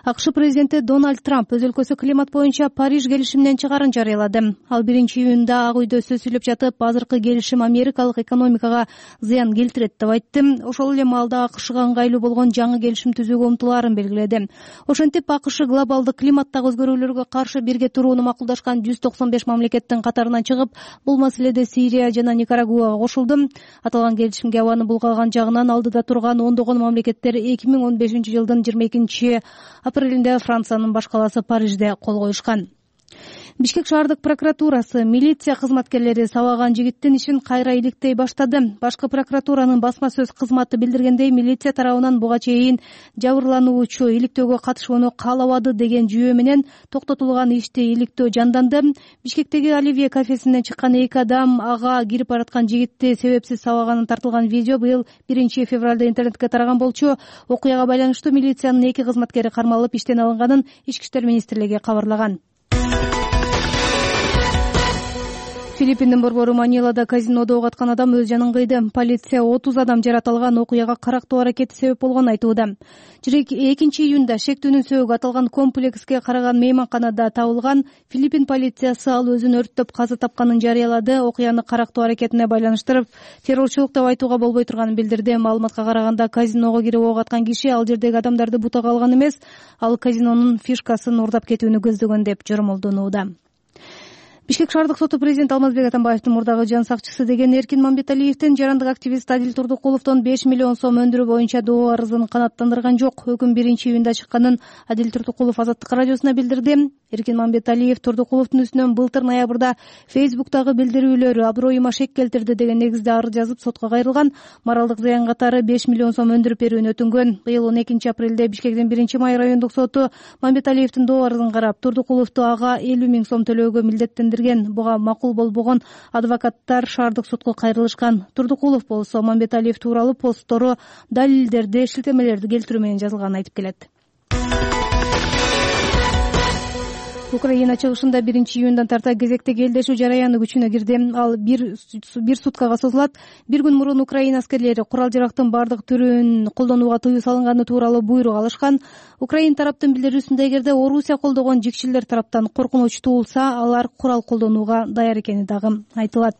F: АКШ президенти Дональд Трамп өз өлкөсү климат боюнча Париж келишиминен чыгарын жарыялады. Ал биринчи июнда Ак үйдө сөз сүйлөп жатып, азыркы келишим америкалык экономикага зыян келтирет деп айтты. Ошол эле маалда АКШга ыңгайлуу болгон жаңы келишим түзүүгө умтулаарын белгиледи. Ошентип АКШ глобалдык климаттагы өзгөрүүлөргө каршы бирге турууну макулдашкан жүз токсон беш мамлекеттин катарынан чыгып, бул маселеде Сирия жана Никарагуага кошулду. Аталган келишимге абаны булгаган жагынан алдыда турган ондогон мамлекеттер эки миң он бешинчи жылдын жыйырма экинчи апрелинде Франциянын баш калаасы Парижде кол коюшкан. Бишкек шаардык прокуратурасы милиция кызматкерлери сабаган жигиттин ишин кайра иликтей баштады. Башкы прокуратуранын басма сөз кызматы билдиргендей, милиция тарабынан буга чейин жабырлануучу иликтөөгө катышууну каалабады деген жүйө менен токтотулган ишти иликтөө жанданды. Бишкектеги Оливье кафесинен чыккан эки адам ага кирип бараткан жигитти себепсиз сабаганын тартылган видео быйыл биринчи февралда интернетке тараган болчу. Окуяга байланыштуу милициянын эки кызматкери кармалып иштен алынганын Ички иштер министрлиги кабарлаган. Филиппиндин борбору Манилада казинодо ок аткан адам өз жанын кыйды. Полиция отуз адам жаратылган окуяга карактоо аракети себеп болгонун айтууда. экинчи июнда шектүүнүн сөөгү аталган комплекске караган мейманканада табылган. Филиппин полициясы ал өзүн өрттөп каза тапканын жарыялады. Окуяны карактоо аракетине байланыштырып, террорчулук деп айтууга болбой турганын билдирди. Маалыматка караганда, казиного кирип ок аткан киши ал жердеги адамдарды бутага алган эмес, ал казинонун фишкасын уурдап кетүүнү көздөгөн деп жормолдонууда. Бишкек шаардык соту президент Алмазбек Атамбаевдин мурдагы жан сакчысы деген Эркин Мамбеталиевдин жарандык активист Адил Турдукуловдон беш миллион сом өндүрүү боюнча доо арызын канааттандырган жок. Өкүм биринчи июнда чыкканын Адил Турдукулов Азаттык радиосуна билдирди. Эркин Мамбеталиев Турдукуловдун үстүнөн былтыр ноябрда Фейсбуктагы билдирүүлөрү аброюма шек келтирди деген негизде арыз жазып сотко кайрылган. Моралдык зыян катары беш миллион сом өндүрүп берүүнү өтүнгөн. Быйыл он экинчи апрелде Бишкектин биринчи май райондук соту Мамбеталиевдин доо арызын карап, Турдукуловду ага элүү миң сом төлөөгө милдеттендирген. Буга макул болбогон адвокаттар шаардык сотко кайрылышкан. Турдукулов болсо Мамбеталиев тууралуу посттору, далилдерди, шилтемелерди келтирүү менен жазылганын айтып келет. Украина чыгышында биринчи июндан тарта кезектеги элдешүү жараяны күчүнө кирди. Ал бир бир суткага созулат. Бир күн мурун Украина аскерлери курал-жарактын бардык түрүн колдонууга тыюу салынганы тууралуу буйрук алышкан. Украин тараптын билдирүүсүндө, эгерде Орусия колдогон жикчилер тараптан коркунуч туулса, алар курал колдонууга даяр экени дагы айтылат.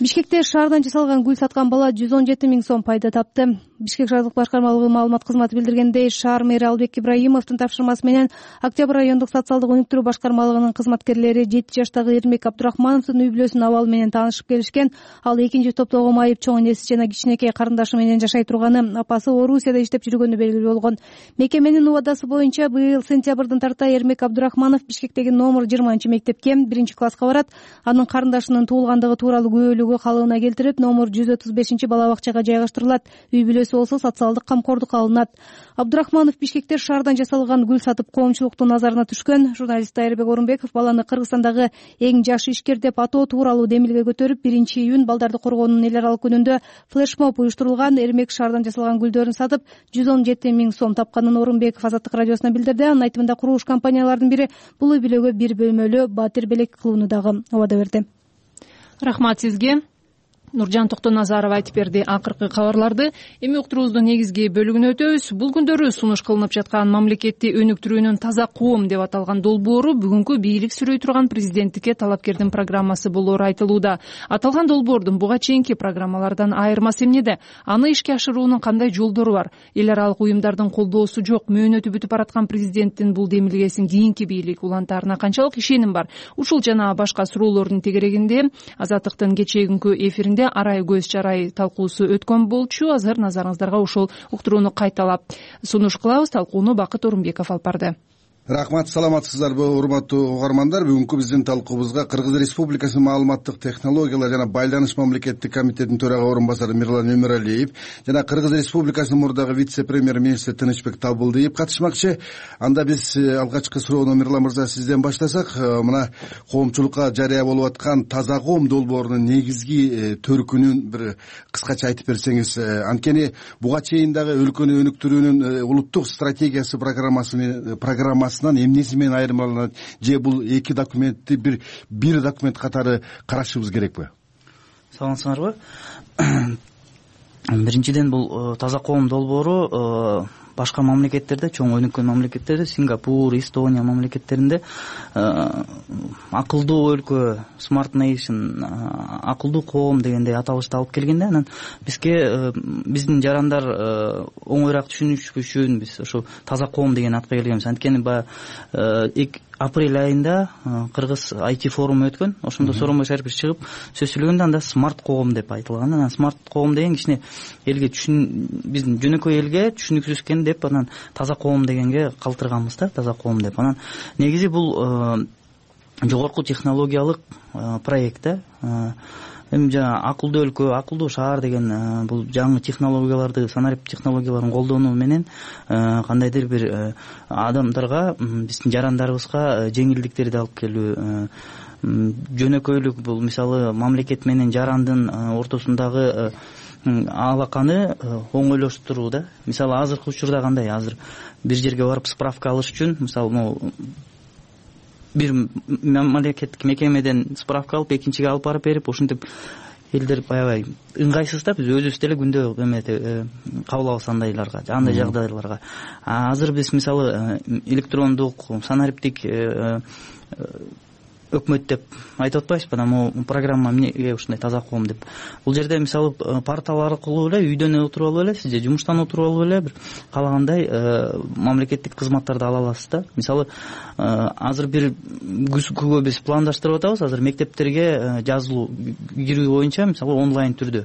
F: Бишкекте шаардан жасалган гүл саткан бала жүз он жети миң сом пайда тапты. Бишкек шаардык башкармалыгы маалымат кызматы билдиргендей, шаар мэри Албек Ибраимовдун тапшырмасы менен Октябрь райондук социалдык өнүктүрүү башкармалыгынын кызматкерлери жети жаштагы Эрмек Абдрахмановдун үй бүлөсүнүн абалы менен таанышып келишкен. Ал экинчи топтогу майып чоң энеси жана кичинекей карындашы менен жашай турганы, апасы Орусияда иштеп жүргөнү белгилүү болгон. Мекеменин убадасы боюнча быйыл сентябрдын тарта Эрмек Абдрахманов Бишкектеги номер жыйырманчы мектепке биринчи класска барат. Анын карындашынын туулгандыгы тууралуу күбөлүгү калыбына келтирип, номер жүз отуз бешинчи бала бакчага жайгаштырылат. Үй бүлөсү болсо социалдык камкордукка алынат. Абдрахманов Бишкекте шаардан жасалган гүл сатып коомчулуктун назарына түшкөн. Журналист Айырбек Орунбеков баланы Кыргызстандагы эң жаш ишкер деп атоо тууралуу демилге көтөрүп, биринчи июнь балдарды коргоонун эл аралык күнүндө флешмоб уюштурулган. Эрмек шаардан жасалган гүлдөрүн сатып жүз он жети миң сом тапканын Орунбеков Азаттык радиосуна билдирди. Анын айтымында курулуш компаниялардын бири бул үй бүлөгө бир бөлмөлүү батир белек кылууну дагы убада берди.
A: Рахмат сизге. Нуржан Токтоназарова айтып берди акыркы кабарларды. Эми уктуруубуздун негизги бөлүгүнө өтөбүз. Бул күндөрү сунуш кылынып жаткан мамлекетти өнүктүрүүнүн таза коом деп аталган долбоору бүгүнкү бийлик сүрөй турган президенттикке талапкердин программасы болоору айтылууда. Аталган долбоордун буга чейинки программалардан айырмасы эмнеде? Аны ишке ашыруунун кандай жолдору бар? Эл аралык уюмдардын колдоосу жок, мөөнөтү бүтүп бараткан президенттин бул демилгесин кийинки бийлик улантаарына канчалык ишеним бар? Ушул жана башка суроолордун тегерегинде Азаттыктын кечээ эфиринде арай көз чарай талкуусу өткөн болчу. Азыр назарыңыздарга ушул уктурууну кайталап сунуш кылабыз. Талкууну Бакыт Орунбеков алып барды.
P: Рахмат, саламатсыздарбы урматтуу угармандар. Бүгүнкү биздин талкуубузга Кыргыз Республикасынын маалыматтык технологиялар жана байланыш мамлекеттик комитетинин төрага орун басары Мирлан Өмөралиев жана Кыргыз Республикасынын мурдагы вице-премьер-министри Тынычбек Табылдиев катышмакчы. Анда биз алгачкы суроону Мирлан мырза сизден баштасак, мына коомчулукка жарыя болуп аткан таза коом долбоорунун негизги төркүнүн бир кыскача айтып берсеңиз. Анткени буга чейин дагы өлкөнү өнүктүрүүнүн улуттук стратегиясы программасы программасы эмнеси менен айырмаланат, же бул эки документти бир бир документ катары карашыбыз керекпи?
Q: Саламатсыңарбы? Биринчиден, бул таза коом долбоору башка мамлекеттерде, чоң өнүккөн мамлекеттерде, Сингапур, Эстония мамлекеттеринде акылдуу өлкө, smart nation, акылдуу коом дегендей аталышты алып келгенде, анан бизге биздин жарандар оңоюраак түшүнүш үчүн биз ошо таза коом деген атка келгенбиз. Анткени баягы апрель айында Кыргыз ай ти форуму өткөн. Ошондо Сооронбай Шарипович чыгып сөз сүйлөгөндө анда смарт коом деп айтылган. Анан смарт коом деген кичине элге түшүн биздин жөнөкөй элге түшүнүксүз экен деп, анан таза коом дегенге калтырганбыз да, таза коом деп. Анан негизи бул жогорку технологиялык проект да. Эми жана акылдуу өлкө, акылдуу шаар деген бул жаңы технологияларды, санарип технологияларын колдонуу менен кандайдыр бир адамдарга, биздин жарандарыбызга жеңилдиктерди алып келүү. Жөнөкөйлүк бул мисалы мамлекет менен жарандын ортосундагы алаканы оңойлоштуруу да. Мисалы азыркы учурда кандай, азыр бир жерге барып справка алыш үчүн, мисалы могу бир мамлекеттик мекемеден справка алып экинчиге алып барып берип, ошентип элдер аябай ыңгайсыз да. Биз өзүбүз деле күндө эметип кабыл алабыз андайларга, андай жагдайларга. Азыр биз мисалы электрондук, санариптик өкмөт деп айтып атпайбызбы, анан программа эмнеге ушундай таза коом деп. Бул жерде мисалы портал аркылуу эле үйдөн отуруп алып эле, сиз же жумуштан отуруп алып эле бир каалагандай мамлекеттик кызматтарды ала аласыз да. Мисалы азыр бир күзгүгө биз пландаштырып атабыз. Азыр мектептерге жазылуу кирүү боюнча мисалы онлайн түрдө.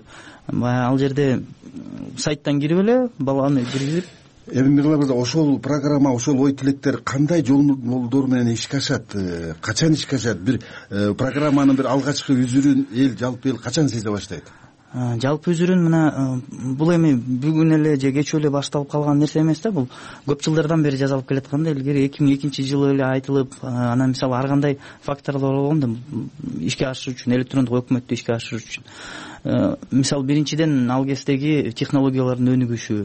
Q: Ал жерде сайттан кирип эле баланы киргизип.
P: Эми Мирлан мырза, ошол программа, ошол ой тилектер кандай жолдор менен ишке ашат, качан ишке ашат? Бир программанын бир алгачкы үзүрүн эл, жалпы эл качан сезе баштайт?
Q: Жалпы үзүрүн мына бул эми бүгүн эле же кечөө эле башталып калган нерсе эмес да. Бул көп жылдардан бери жазалып келатканда, илгери эки миң экинчи жылы эле айтылып, анан мисалы ар кандай факторлор болгондо ишке ашыруу үчүн, электрондук өкмөттү ишке ашыруу үчүн. Мисалы биринчиден ал кездеги технологиялардын өнүгүшү,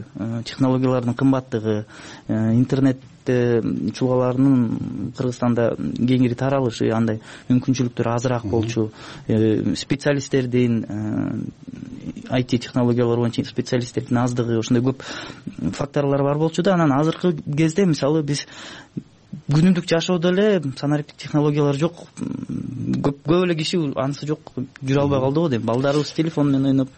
Q: технологиялардын кымбаттыгы, интернет чулгаларынын Кыргызстанда кеңири таралышы, андай мүмкүнчүлүктөр азыраак болчу, специалисттердин, ай ти технологиялар боюнча специалисттердин аздыгы, ошондой көп факторлор бар болчу да. Анан азыркы кезде мисалы биз күнүмдүк жашоодо эле санариптик технологиялар жок, көп эле киши анысы жок жүрө албай калды го дейм, балдарыбыз телефон менен ойноп.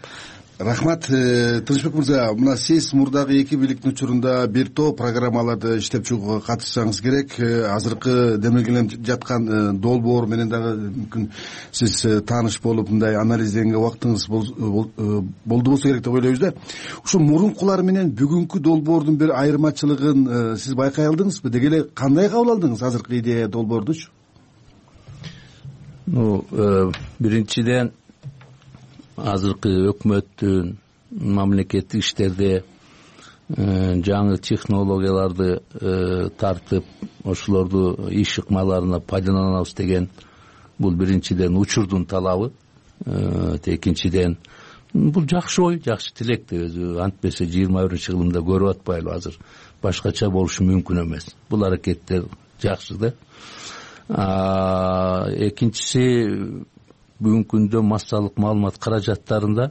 P: Рахмат. Тынычбек мырза, мына сиз мурдагы эки бийликтин учурунда бир топ программаларды иштеп чыгууга катышсаңыз керек. Азыркы демелгеленип жаткан долбоор менен дагы мүмкүн сиз тааныш болуп мындай анализденге убактыңыз болду болсо керек деп ойлойбуз да. Ушул мурункулар менен бүгүнкү долбоордун бир айырмачылыгын сиз байкай алдыңызбы? Деги эле кандай кабыл алдыңыз азыркы идея долбоордучу?
R: Ну, биринчиден азыркы өкмөттүн мамлекеттик иштерде жаңы технологияларды тартып ошолорду иш ыкмаларына пайдаланабыз деген бул биринчиден учурдун талабы. Экинчиден бул жакшы ой, жакшы тилекти. Өзү антпесе жыйырма биринчи кылымда көрүп атпайлы, азыр башкача болушу мүмкүн эмес. Бул аракеттер жакшы да. Экинчиси, бүгүнкү күндө массалык маалымат каражаттарында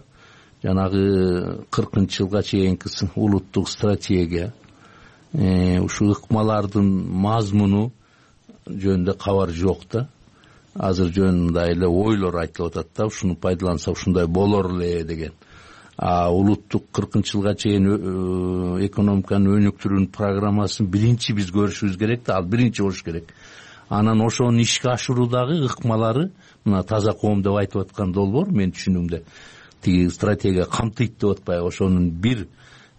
R: жанагы кыркынчы жылга чейинки улуттук стратегия, ушул ыкмалардын мазмуну жөнүндө кабар жок да. Азыр жөнүндө эле ойлор айтылып атат да, ушуну пайдаланса ушундай болор эле деген. А улуттук кыркынчы жылга чейин экономиканы өнүктүрүүнүн программасын биринчи биз көрүшүбүз керек да, ал биринчи болуш керек. Анан ошонун ишке ашыруудагы ыкмалары мына таза коом деп айтып аткан долбоор менин түшүнүгүмдө тиги стратегия камтыйт деп атпайбы, ошонун бир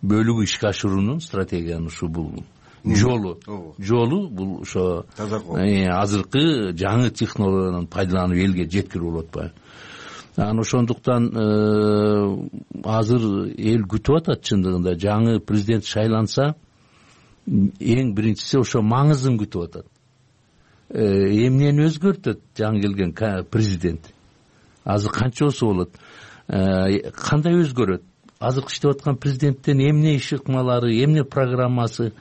R: бөлүгү ишке ашыруунун стратегиянын ушу бул жолу жолу бул ошо азыркы жаңы технологияны пайдаланып элге жеткирүү болуп атпайбы. Анан ошондуктан азыр эл күтүп атат, чындыгында жаңы президент шайланса эң биринчиси ошо маңызын күтүп атат. Эмнени өзгөртөт жаңы келген президент? Азыр канчасы болот? Кандай өзгөрөт? Азыркы иштеп аткан президенттен эмне иш ыкмалары, эмне программасы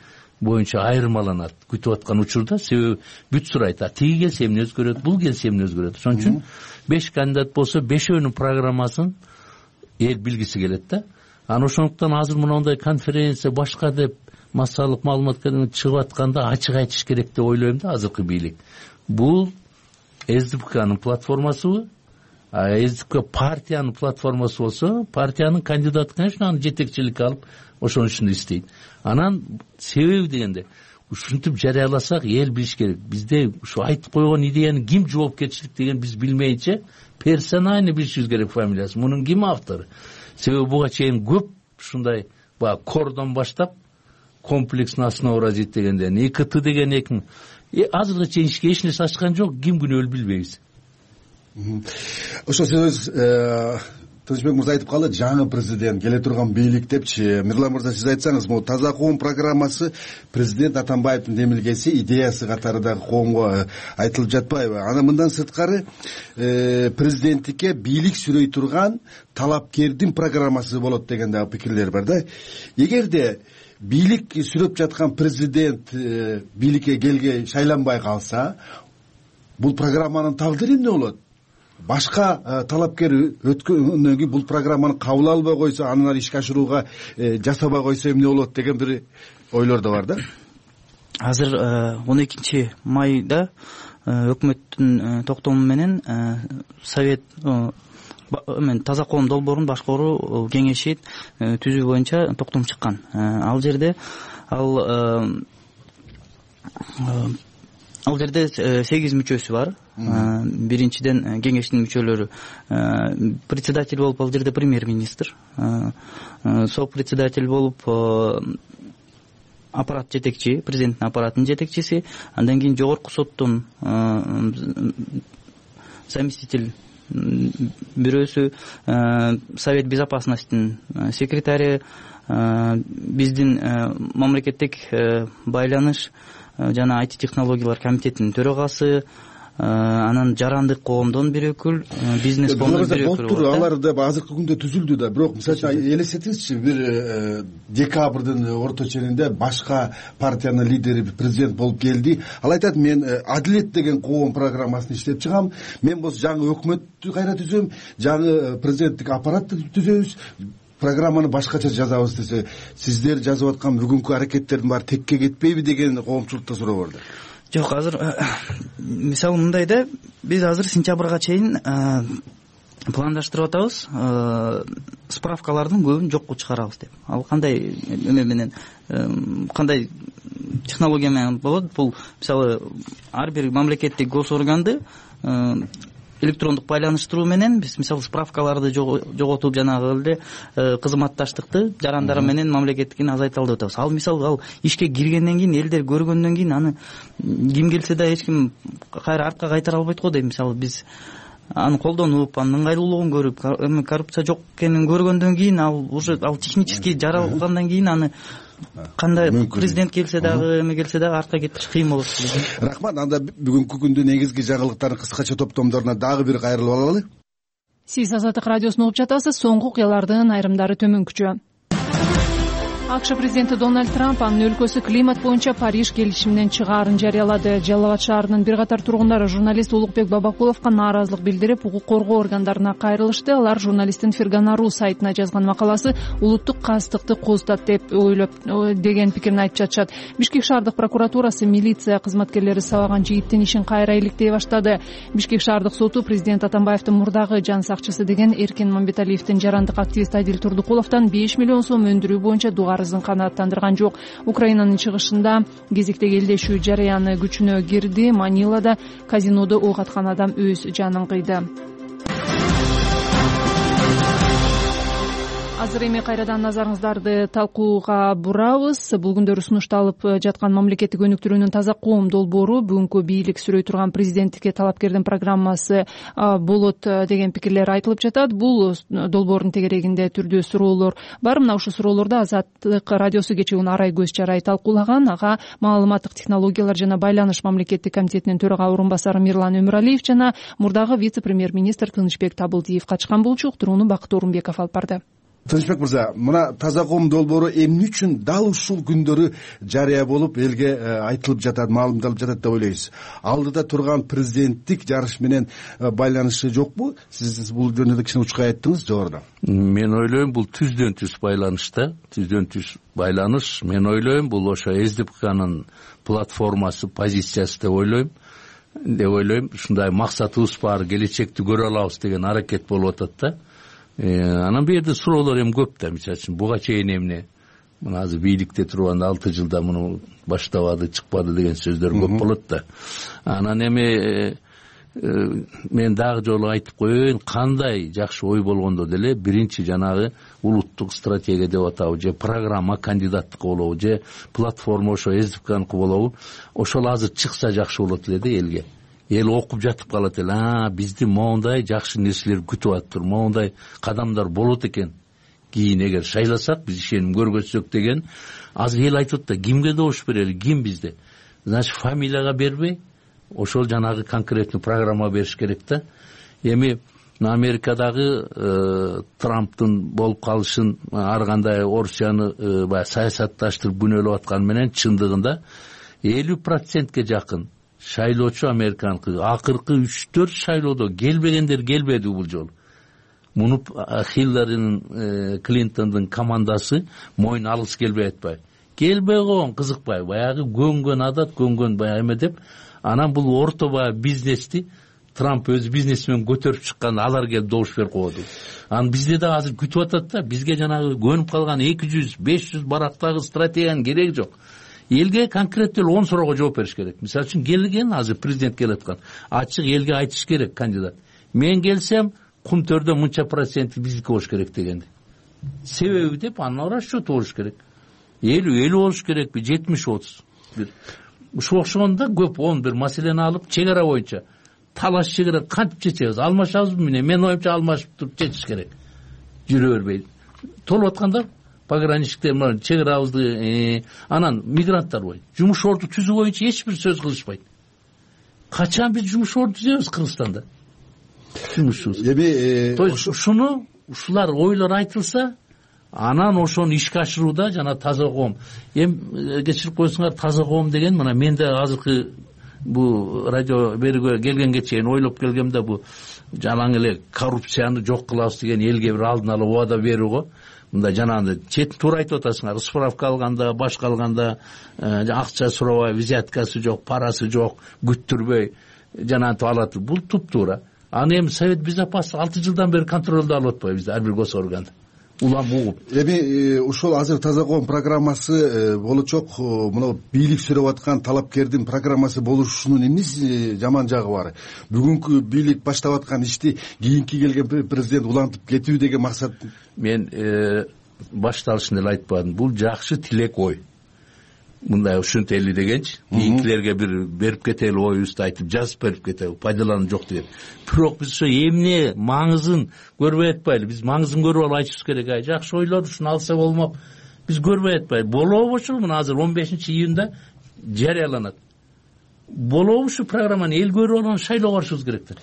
R: боюнча айырмаланат күтүп аткан учурда? Себеби бүт сурайт, тиги келсе эмне өзгөрөт, бул келсе эмне өзгөрөт. Ошон үчүн беш кандидат болсо бешөөнүн программасын эл билгиси келет да. Анан ошондуктан азыр мындай конференция башка деп массалык маалыматка чыгып атканда ачык айтыш керек деп ойлойм да. Азыркы бийлик бул СДПКнын платформасыбы? СДПК партиянын платформасы болсо, партиянын кандидаты, конечно, аны жетекчиликке алып ошонун ишин иштейт. Анан себеби дегенде ушинтип жарыяласак эл билиш керек. Бизде ушу айтып койгон идеянын ким жоопкерчилик деген биз билмейинче персонально билишибиз керек фамилиясын. Мунун ким автору? Себеби буга чейин көп ушундай баягы кордон баштап комплекстный основа развития дегенден ИКТ деген эки азыркы чейин эч нерсе ачкан жок, ким күнөөлүү билбейбиз.
P: Ошо сөз Тынычбек мырза айтып калды, жаңы президент келе турган бийлик депчи. Мирлан мырза, сиз айтсаңыз, могу таза коом программасы президент Атамбаевдин демилгеси, идеясы катары дагы коомго айтылып жатпайбы? Анан мындан сырткары президенттикке бийлик сүрөй турган талапкердин программасы болот деген дагы пикирлер бар да. Эгерде бийлик сүрөп жаткан президент бийликке келге шайланбай калса, бул программанын тагдыры эмне болот? Башка талапкер өткөндөн кийин бул программаны кабыл албай койсо, аны ишке ашырууга жасабай койсо эмне болот деген бир ойлор да бар да.
Q: Азыр он экинчи майда өкмөттүн токтому менен совет мен таза коом долбоорун башкаруу кеңеши түзүү боюнча токтом чыккан. Ал жерде ал Ал жерде сегиз мүчөсү бар. Биринчиден кеңештин мүчөлөрү председатель болуп, ал жерде премьер-министр, сопредседатель болуп аппарат жетекчи, президенттин аппаратынын жетекчиси, андан кийин жогорку соттун заместитель бирөөсү, Совет безопасностьтин секретары, биздин мамлекеттик байланыш жана ай ти технологиялар комитетинин төрагасы, анан жарандык коомдон бир өкүл, бизнес коомдон бир өкүл
P: болуп, алар да азыркы күндө түзүлдү да. Бирок мисалы үчүн элестетиңизчи, бир декабрдын орто ченинде башка партиянын лидери президент болуп келди. Ал айтат, мен адилет деген коом программасын иштеп чыгам, мен болсо жаңы өкмөттү кайра түзөм, жаңы президенттик аппаратты түзөбүз, программаны башкача жазабыз десе, сиздер жазып аткан бүгүнкү аракеттердин баары текке кетпейби деген коомчулукта суроо бар да.
Q: жок азыр мисалы мындай да, биз азыр сентябрга чейин пландаштырып атабыз справкалардын көбүн жокко чыгарабыз деп. Ал кандай эме менен, кандай технология менен болот? Бул мисалы ар бир мамлекеттик госорганды электрондук байланыштыруу менен биз мисалы справкаларды жоготуп жанагы эле кызматташтыкты жарандары менен мамлекеттикин азайта алып атабыз. Ал мисалы ал ишке киргенден кийин, элдер көргөндөн кийин аны ким келсе да эч ким кайра артка кайтара албайт го дейм. Мисалы биз аны колдонуп, анын ыңгайлуулугун көрүп, эми коррупция жок экенин көргөндөн кийин, ал уже ал технически жаралгандан кийин аны кандай президент келсе дагы, эме келсе дагы артка кетиш кыйын болот.
P: Рахмат. Анда бүгүнкү күндүн негизги жаңылыктарын кыскача топтомдоруна дагы бир кайрылып алалы.
A: Сиз Азаттык радиосун угуп жатасыз. Соңку окуялардын айрымдары төмөнкүчө. АКШ президенти Дональд Трамп анын өлкөсү климат боюнча Париж келишиминен чыгаарын жарыялады. Жалал Абад шаарынын бир катар тургундары журналист Улукбек Бабакуловго нааразылык билдирип, укук коргоо органдарына кайрылышты. Алар журналисттин Фергана.ру сайтына жазган макаласы улуттук кастыкты козутат деп ойлоп деген пикирин айтып жатышат. Бишкек шаардык прокуратурасы милиция кызматкерлери сабаган жигиттин ишин кайра иликтей баштады. Бишкек шаардык соту президент Атамбаевдин мурдагы жан сакчысы деген Эркен Мамбеталиевдин жарандык активист Адил Турдукуловдон беш миллион сом өндүрүү боюнча дуга арызын канааттандырган жок. Украинанын чыгышында кезектеги элдешүү жараяны күчүнө кирди. Манилада казинодо ок аткан адам өз жанын кыйды. Азыр эми кайрадан назарыңыздарды талкууга бурабыз. Бул күндөрү сунушталып жаткан мамлекеттик өнүктүрүүнүн таза коом долбоору бүгүнкү бийлик сүрөй турган президенттикке талапкердин программасы болот деген пикирлер айтылып жатат. Бул долбоордун тегерегинде түрдүү суроолор бар. Мына ушул суроолорду Азаттык радиосу кечээ Арай Көз Чарай талкуулаган. Ага маалыматтык технологиялар жана байланыш мамлекеттик комитетинин төрага орун басары Мирлан Өмүралиев жана мурдагы вице-премьер-министр Тынычбек Табылдиев качкан. Бул чогтурууну Бакыт Орунбеков алып барды.
P: Тынычбек мырза, мына таза коом долбоору эмне үчүн дал ушул күндөрү жарыя болуп элге айтылып жатат, маалымдалып жатат деп ойлойсуз? Алдыда турган президенттик жарыш менен байланышы жокпу? Сиз бул жөнүндө кичине учкай айттыңыз жогоруда.
R: Мен ойлойм бул түздөн түз байланыш да, түздөн түз байланыш. Мен ойлойм бул ошо СДПКнын платформасы, позициясы деп ойлойм. Деп ойлойм, ушундай максатыбыз бар, келечекти көрө алабыз деген аракет болуп атат да. Анан бул жерде суроолор эми көп да. Мисалы үчүн буга чейин эмне, мына азыр бийликте турганда алты жылда муну баштабады, чыкпады деген сөздөр көп болот да. Анан эми мен дагы жолу айтып коеюн, кандай жакшы ой болгондо деле биринчи жанагы улуттук стратегия деп атабы, же программа кандидаттыкка болобу, же платформа ошо СДПКныкы болобу, ошол азыр чыкса жакшы болот эле да элге. Эл окуп жатып калат эле, а бизди моундай жакшы нерселер күтүп атыптыр, моундай кадамдар болот экен. Кийин эгер шайласак, биз ишеним көргөзсөк деген. Азыр эл айтып атат да, кимге добуш берели, ким бизде? Значит, фамилияга бербей, ошол жанагы конкретный программа бериш керек да. Эми Америкадагы Трамптын болуп калышын, ар кандай Орусияны баягы саясатташтырып күнөөлөп атканы менен чындыгында элүү процентке жакын шайлоочу американкы акыркы үч төрт шайлоодо келбегендер келбеди бул жолу. Муну Хилларинин, Клинтондун командасы мойын алгысы келбей атпайбы. Келбей койгон кызыкпай, баягы көнгөн адат, көнгөн баягы эме деп, анан бул орто баягы бизнести Трамп өз бизнесмен көтөрүп чыккан, алар келип добуш берип койду. Анан бизде да азыр күтүп атат да, бизге жанагы көнүп калган эки жүз беш жүз барактагы стратегиянын кереги жок. Элге конкреттүү он суроого жооп бериш керек. Мисалы үчүн келген азыр президент келаткан, ачык элге айтыш керек кандидат. Мен келсем, кум төрдө мынча проценти биздики болуш керек дегенди. Себеби деп анын расчёту болуш керек. элүү элүү болуш керекпи, жетимиш отуз. Бир ушуга окшогондо көп он бир маселени алып, чек ара боюнча талаш чегара кантип чечебиз? Алмашабызбы мени? Мен оюмча алмашып туруп чечиш керек. Жүрө бербей. Толуп атканда пограничниктер чек арабызды, анан мигранттар бой. Жумуш орду түзүү боюнча эч бир сөз кылышпайт. Качан биз жумуш орду түзөбүз Кыргызстанда? Жумушчубуз. Эми то есть ушуну, ушулар ойлор айтылса, анан ошону ишке ашырууда жана таза коом. Эми кечирип койсуңар, таза коом деген мына мен да азыркы бу радио берүүгө келгенге чейин ойлоп келгем да, бу жалаң эле коррупцияны жок кылабыз деген элге бир алдын ала убада берүү го. мындай жанагындай чет туура айтып атасыңар, справка алганда, башка алганда акча сурабай, взяткасы жок, парасы жок, күттүрбөй жанагынтип алат. Бул туптуура. Аны эми Совет Безопасности алты жылдан бери контролдо алып атпайбызбы ар бир госорган улам угуп.
P: Эми ушул азыр таза коом программасы болочок, мына бийлик сүрөп аткан талапкердин программасы болушунун эмнеси жаман жагы бар? Бүгүнкү бийлик баштап аткан ишти кийинки келген президент улантып кетүү деген максат.
R: Мен башталышында эле айтпадым. Бул жакшы тилек ой. Мындай ушунтели дегенчи, кийинкилерге бир берип кетели оюбузду айтып жазып берип кетели, пайдалануу жок деген. Бирок биз ошо эмне маңызын көрбөй атпайлы. Биз маңызын көрүп алып айтышыбыз керек. Ай, жакшы ойлор ушуну алса болмок. Биз көрбөй атпайлы. Болобу ушул мына азыр он бешинчи июнда жарыяланат. Болобу ушул программаны эл көрүп алган шайлоого барышыбыз керектир.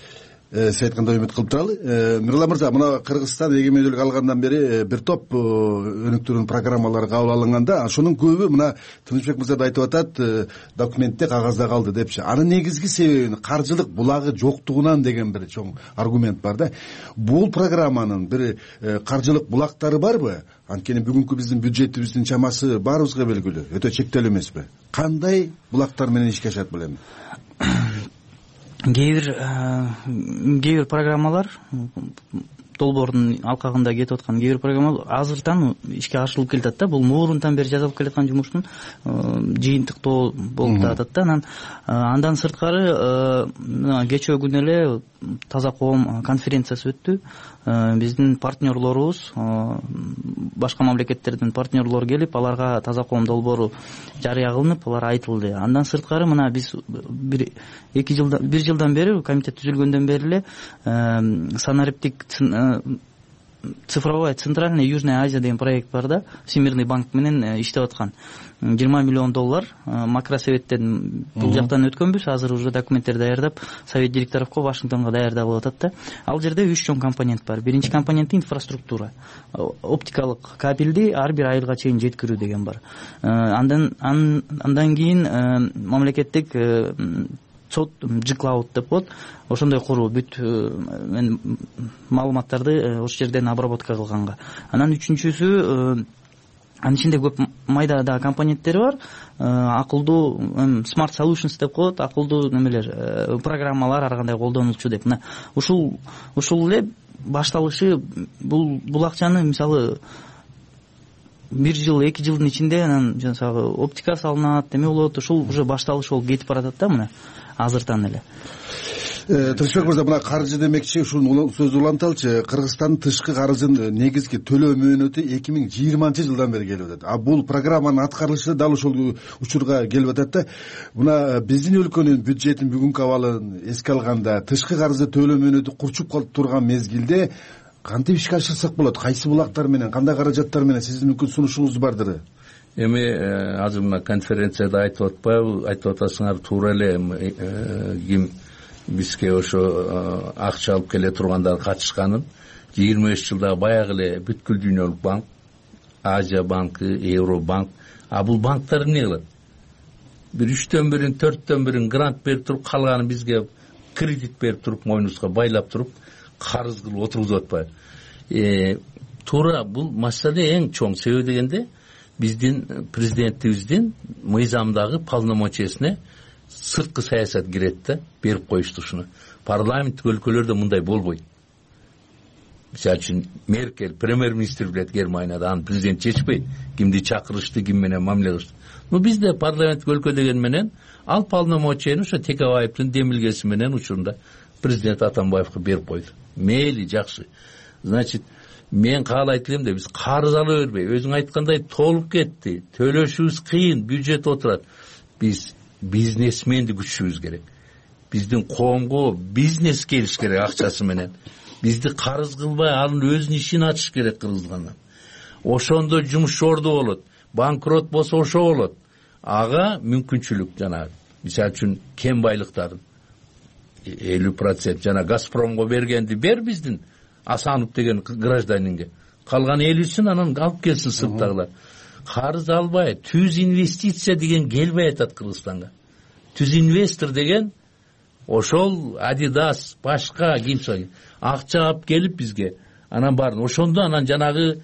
P: Сиз айткандай үмүт кылып туралы. Мирлан мырза, мына Кыргызстан эгемендүүлүк алгандан бери бир топ өнүктүрүүнү программалар кабыл алынганда, ошонун көбү мына Тынычбек мырза да айтып атат, документте, кагазда калды депчи. Анын негизги себеби каржылык булагы жоктугунан деген бир чоң аргумент бар да. Бул программанын бир каржылык булактары барбы? Анткени бүгүнкү биздин бюджетибиздин чамасы баарыбызга белгилүү, өтө чектелүү эмеспи? Кандай булактар менен ишке ашат билем?
Q: кээ бир кээ бир программалар долбоордун алкагында кетип аткан кээ бир программалар азыртан ишке ашырылып келатат да. Бул мурунтан бери жасалып келаткан жумуштун жыйынтыктоо болуп атат да. Анан андан сырткары кечээ күнү эле таза коом конференциясы өттү. Биздин партнерлорубуз, башка мамлекеттердин партнерлору келип, аларга таза коом долбоору жарыя кылынып, алар айтылды. Андан сырткары мына биз бир эки жылдан бир жылдан бери комитет түзүлгөндөн бери эле санариптик цифровая центральная Южная Азия деген проект бар да. Всемирный банк менен иштеп аткан. жыйырма миллион доллар макросоветтен бул жактан өткөнбүз. Азыр уже документтер даярдап, совет директоровго Вашингтонго даярдалып атат да. Ал жерде үч чоң компонент бар. Биринчи компоненти инфраструктура. Оптикалык кабелди ар бир айылга чейин жеткирүү деген бар. Андан андан кийин мамлекеттик сот G-Cloud деп коет. Ошондой куруу бүт маалыматтарды ошол жерден обработка кылганга. Анан үчүнчүсү, анын ичинде көп майда да компоненттери бар. Акылдуу Smart Solutions деп коет, акылдуу немелер, программалар ар кандай колдонулчу деп. Мына ушул ушул эле башталышы. Бул бул акчаны мисалы бир жыл, эки жылдын ичинде анан жанагы оптика салынат, эме болот. Ушул уже башталыш болуп кетип баратат да мына азыртан эле.
P: Тынычбек мырза, мына каржы демекчи, ушул сөздү уланталычы. Кыргызстандын тышкы каржынын негизги төлөө мөөнөтү эки миң жыйырманчы жылдан бери келип атат. А бул программанын аткарылышы дал ушул учурга келип атат да. Мына биздин өлкөнүн бюджетин бүгүнкү абалын эске алганда, тышкы каржы төлөө мөөнөтү курчуп калып турган мезгилде кантип ишке ашырсак болот? Кайсы булактар менен, кандай каражаттар менен сиздин мүмкүн сунушуңуз бардыр?
R: Эми азыр мына конференцияда айтып атпайбы, айтып атасыңар туура эле ким бизге ошо акча алып келе тургандар катышканын. жыйырма беш жылда баягы эле бүткүл дүйнөлүк банк, Азия банкы, Евробанк, а бул банктар эмне кылат? Бир үчтөн бирин, төрттөн бирин грант берип туруп, калганын бизге кредит берип туруп, мойнубузга байлап туруп, карыз кылып отургузуп атпайбы? Туура бул маселе эң чоң себеби дегенде биздин президентибиздин мыйзамдагы полномочиясына сырткы саясат кирет да, берип коюшту ушуну. Парламенттик өлкөлөрдө мындай болбойт. Мисалы үчүн Меркель, премьер-министр билет Германияда, аны президент чечпейт, кимди чакырышты, ким менен мамиле кылышты. Но бизде парламенттик өлкө деген менен ал полномочияны ошо Текебаевдин демилгеси менен учурунда президент Атамбаевге берип койду. Мейли, жакшы. Значит, мен каалайт элем да биз карыз ала бербей, өзүң айткандай толуп кетти, төлөшүбүз кыйын, бюджет отурат. Биз бизнесменди күчүшүбүз керек. Биздин коомго бизнес келиш керек акчасы менен. Бизди карыз кылбай, анын өзүнүн ишин ачыш керек Кыргызстандан. Ошондо жумуш жорду болот. Банкрот болсо ошо болот. Ага мүмкүнчүлүк жанагы. Мисалы үчүн кем байлыктарын элүү процент жана Газпромго бергенди бер биздин Асанов деген гражданинге. Калган элүүсүн анан алып келсин сырттагылар. Карыз албай, түз инвестиция деген келбей атат Кыргызстанга. Түз инвестор деген ошол Adidas, башка кимсе акча алып келип бизге анан баарын ошондо анан жанагы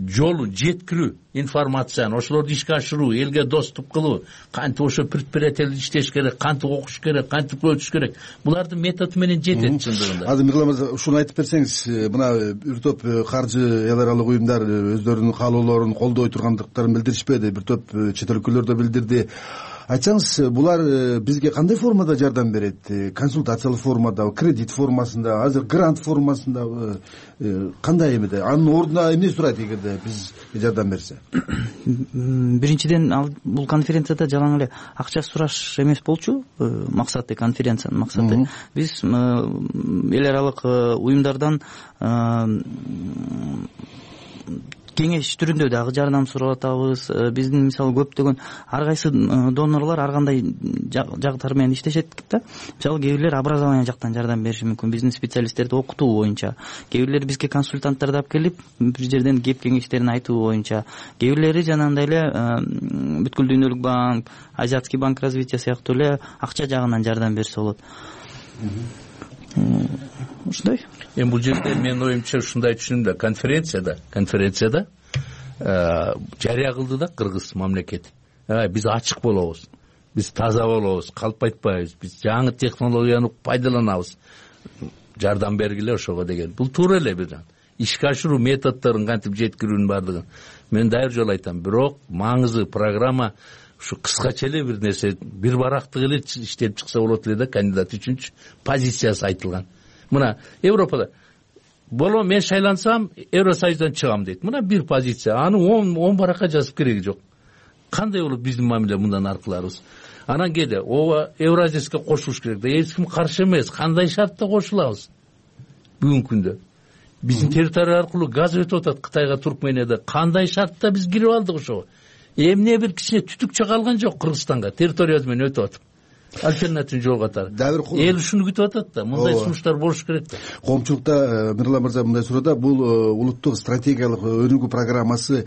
R: жолу жеткирүү информацияны ошолорду ишке ашыруу, элге доступ кылуу, кантип ошо предприятиялар иштеш керек, кантип окуш керек, кантип өтүш керек, булардын методу менен жетет чындыгында.
P: Азыр Мирлан мырза ушуну айтып берсеңиз, мына бир топ каржы эл аралык уюмдар өздөрүнүн каалоолорун колдой тургандыктарын билдиришпеди, бир топ чет өлкөлөр да билдирди. Айтсаңыз, булар бизге кандай формада жардам берет? Консультациялык формада, кредит формасында, азыр грант формасында, кандай эмеде? Анын ордуна эмне сурайт эгерде бизге жардам берсе?
Q: Биринчиден, ал бул конференцияда жалаң эле акча сураш эмес болчу, максаты конференциянын максаты. Биз эл аралык уюмдардан кеңеш түрүндө дагы жардам сурап атабыз. Биздин мисалы көптөгөн ар кайсы донорлор ар кандай жактар менен иштешет да. Мисалы кээ бирлер образование жактан жардам бериши мүмкүн, биздин специалисттерди окутуу боюнча. Кээ бирлер бизге консультанттарды алып келип, бир жерден кеп кеңештерин айтуу боюнча. Кээ бирлери жанагындай эле бүткүл дүйнөлүк банк, Азиатский банк развития сыяктуу эле акча жагынан жардам берсе болот. Ушундай.
R: Эми бул жерде менин оюмча ушундай түшүнүм да, конференцияда конференцияда жарыя кылды да Кыргыз мамлекети. Биз ачык болобуз, биз таза болобуз, калп айтпайбыз, биз жаңы технологияны пайдаланабыз, жардам бергиле ошого деген. Бул туура эле бир ишке ашыруу методдорун кантип жеткирүүнүн баардыгын мен дайыр жолу айтам. Бирок маңызы программа ушу кыскача эле бир нерсе, бир барактык эле иштеп чыкса болот эле да, кандидат үчүнчү позициясы айтылган. Мына Европада боло мен шайлансам Евросоюздан чыгам дейт. Мына бир позиция. Аны он баракка жазып кереги жок. Кандай болот биздин мамиле мындан аркыларыбыз? Анан кээде ооба Евразияска кошулуш керек да. Эч ким каршы эмес. Кандай шартта кошулабыз? Бүгүнкү күндө биздин территория аркылуу газ өтүп атат Кытайга, Туркменияда. Кандай шартта биз кирип алдык ошого? Эмне бир кичине түтүкчө калган жок Кыргызстанга, территориябыз менен өтүп атат. Альтернатив жол катары. Эл ушуну күтүп атат да, мындай сунуштар болуш керек да.
P: Коомчулукта Мирлан мырза мындай суроодо, бул улуттук стратегиялык өнүгүү программасы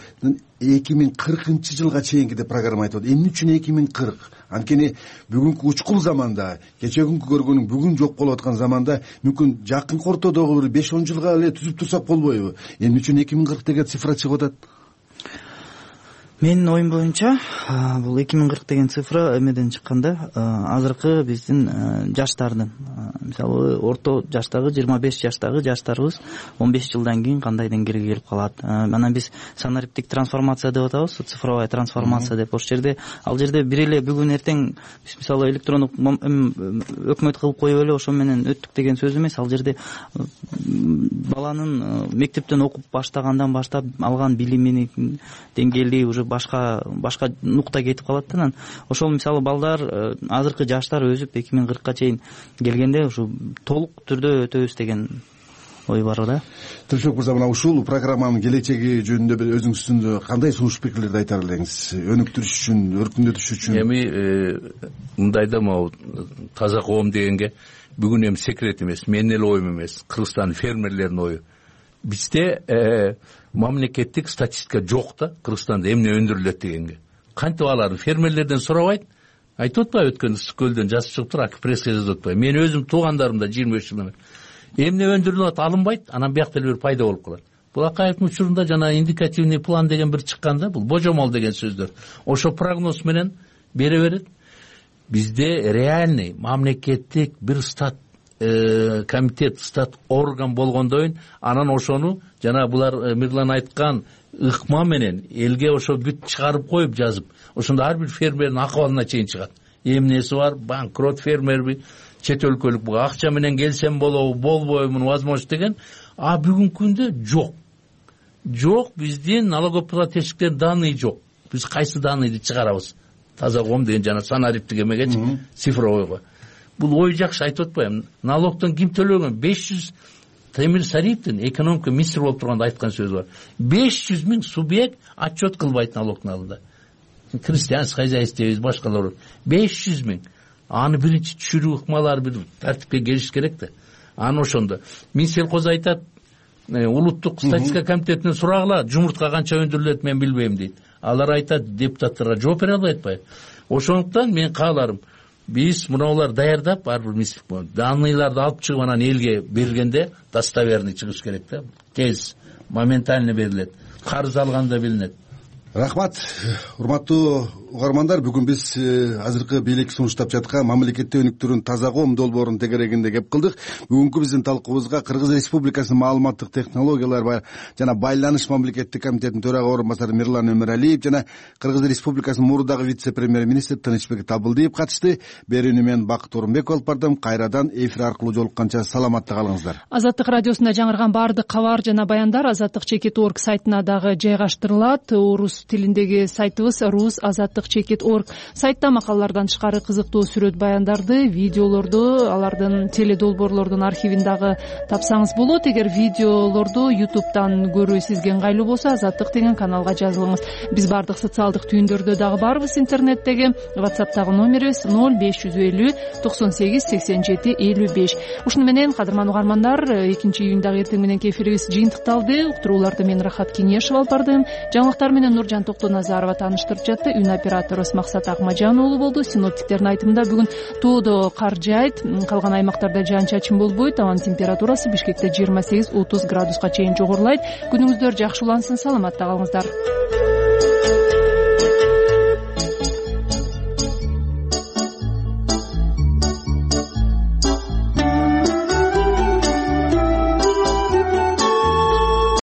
P: эки миң кыркынчы жылга чейинки деп программа айтып атат. Эмне үчүн эки миң кырк? Анткени бүгүнкү учкул заманда, кечеги көргөнүң бүгүн жок болуп аткан заманда мүмкүн жакын ортодогу бир беш он жылга эле түзүп турсак болбойбу? Эмне үчүн эки миң кырк деген цифра чыгып атат?
Q: Менин оюм боюнча бул эки миң кырк деген цифра эмеден чыкканда, азыркы биздин жаштардын, мисалы орто жаштагы жыйырма беш жаштагы жаштарыбыз он беш жылдан кийин кандай деңгээлге келип калат. Анан биз санариптик трансформация деп атабыз, цифровая трансформация деп. Ошол жерде ал жерде бир эле бүгүн эртең биз мисалы электрондук өкмөт кылып коюп эле ошо менен өттүк деген сөз эмес. Ал жерде баланын мектептен окуп баштагандан баштап алган билиминин деңгээли уже башка башка нукта кетип калат да. Анан ошол мисалы балдар, азыркы жаштар өсүп эки миң кыркка чейин келгенде ушу толук түрдө өтөбүз деген ой бар да.
P: Тилшок мырза, мына ушул программанын келечеги жөнүндө бир өзүңүздүн кандай сунуш пикирлерди айтар элеңиз? Өнүктүрүш үчүн, өркүндөтүш үчүн.
R: Эми мындай да, могу таза коом дегенге бүгүн эми секрет эмес, менин эле оюм эмес, Кыргызстандын фермерлеринин ою. Бизде мамлекеттик статистика жок да, Кыргызстанда эмне өндүрүлөт дегенге. Кантип аларды фермерлерден сурабайт? Айтып атпайбы, өткөн ысык көлдөн жазып чыгып туруп, пресска жазып атпайбы? Мен өзүм туугандарымда жыйырма беш жылдан бери эмне өндүрүлүп атат алынбайт, анан биякта эле бир пайда болуп калат. Булакаевдин учурунда жана индикативный план деген бир чыккан да, бул божомол деген сөздөр. Ошо прогноз менен бере берет. Бизде реальный мамлекеттик бир стат комитет, стат орган болгондойн, анан ошону жана булар Мирлан айткан ыкма менен элге ошо бүт чыгарып коюп жазып, ошондо ар бир фермердин акыбалына чейин чыгат. Эмнеси бар, банкрот фермерби, чет өлкөлүк буга акча менен келсем болобу, болбойбу, возможно деген. А бүгүнкү күндө жок. Жок, биздин налогоплательщиктер данный жок. Биз кайсы данныйды чыгарабыз? Таза коом деген жана санариптик эмегечи, цифровойго. Бул ой жакшы, айтып атпайбы? Налогтон ким төлөгөн? беш жүз Темир Сариевдин экономика министри болуп турганда айткан сөзү бар. беш жүз миң субъект отчет кылбайт налогтун алдында. Крестьянский хозяйство дейбиз, башкалар. беш жүз миң. Аны биринчи түшүрүү ыкмалары бир тартипке келиш керек да. Аны ошондо Минсельхоз айтат, улуттук статистика комитетинен сурагыла, жумуртка канча өндүрүлөт мен билбейм дейт. Алар айтат, депутаттарга жооп бере албай атпайбы? Ошондуктан мен кааларым, биз мунулар даярдап ар бир мисдик данныйларды алып чыгып анан элге берилгенде достоверный чыгыш керек да, тез моментально берилет, карыз алганда билинет.
P: Рахмат. Урматтуу угармандар, бүгүн биз азыркы бийлик сунуштап жаткан мамлекеттик өнүктүрүүнүн таза коом долбоорунун тегерегинде кеп кылдык. Бүгүнкү биздин талкуубузга Кыргыз Республикасынын маалыматтык технологиялар жана байланыш мамлекеттик комитетинин төрага орун басары Мирлан Өмүралиев жана Кыргыз Республикасынын мурдагы вице-премьер-министри Тынычбек Табылдиев катышты. Берүүнү мен Бакыт Орунбеков алып бардым. Кайрадан эфир аркылуу жолукканча саламатта калыңыздар.
A: Азаттык радиосунда жаңырган баардык кабар жана баяндар азаттык чекит орг сайтына дагы жайгаштырылат. Орус тилиндеги сайтыбыз рус азаттык чекит орг. Сайтта макалалардан тышкары кызыктуу сүрөт баяндарды, видеолорду, алардын теледолбоорлордун архивин дагы тапсаңыз болот. Эгер видеолорду ютубтан көрүү сизге ыңгайлуу болсо, азаттык деген каналга жазылыңыз. Биз баардык социалдык түйүндөрдө дагы барбыз. Интернеттеги WhatsApp'тагы номерибиз ноль беш жүз элүү токсон сегиз сексен жети элүү беш. Ушуну менен кадырман угармандар, экинчи июндагы эртең мененки эфирибиз жыйынтыкталды. Уктурууларды мен Рахат Кеңешов алып бардым. Жаңылыктар менен Нуржан Токтоназарова тааныштырып жатты. Үн операторубуз Максат Акмажан уулу болду. Синоптиктердин айтымында бүгүн тоодо кар жаайт, калган аймактарда жаан-чачын болбойт. Абанын температурасы Бишкекте жыйырма сегиз отуз градуска чейин жогорулайт. Күнүңүздөр жакшы улансын, саламатта калыңыздар.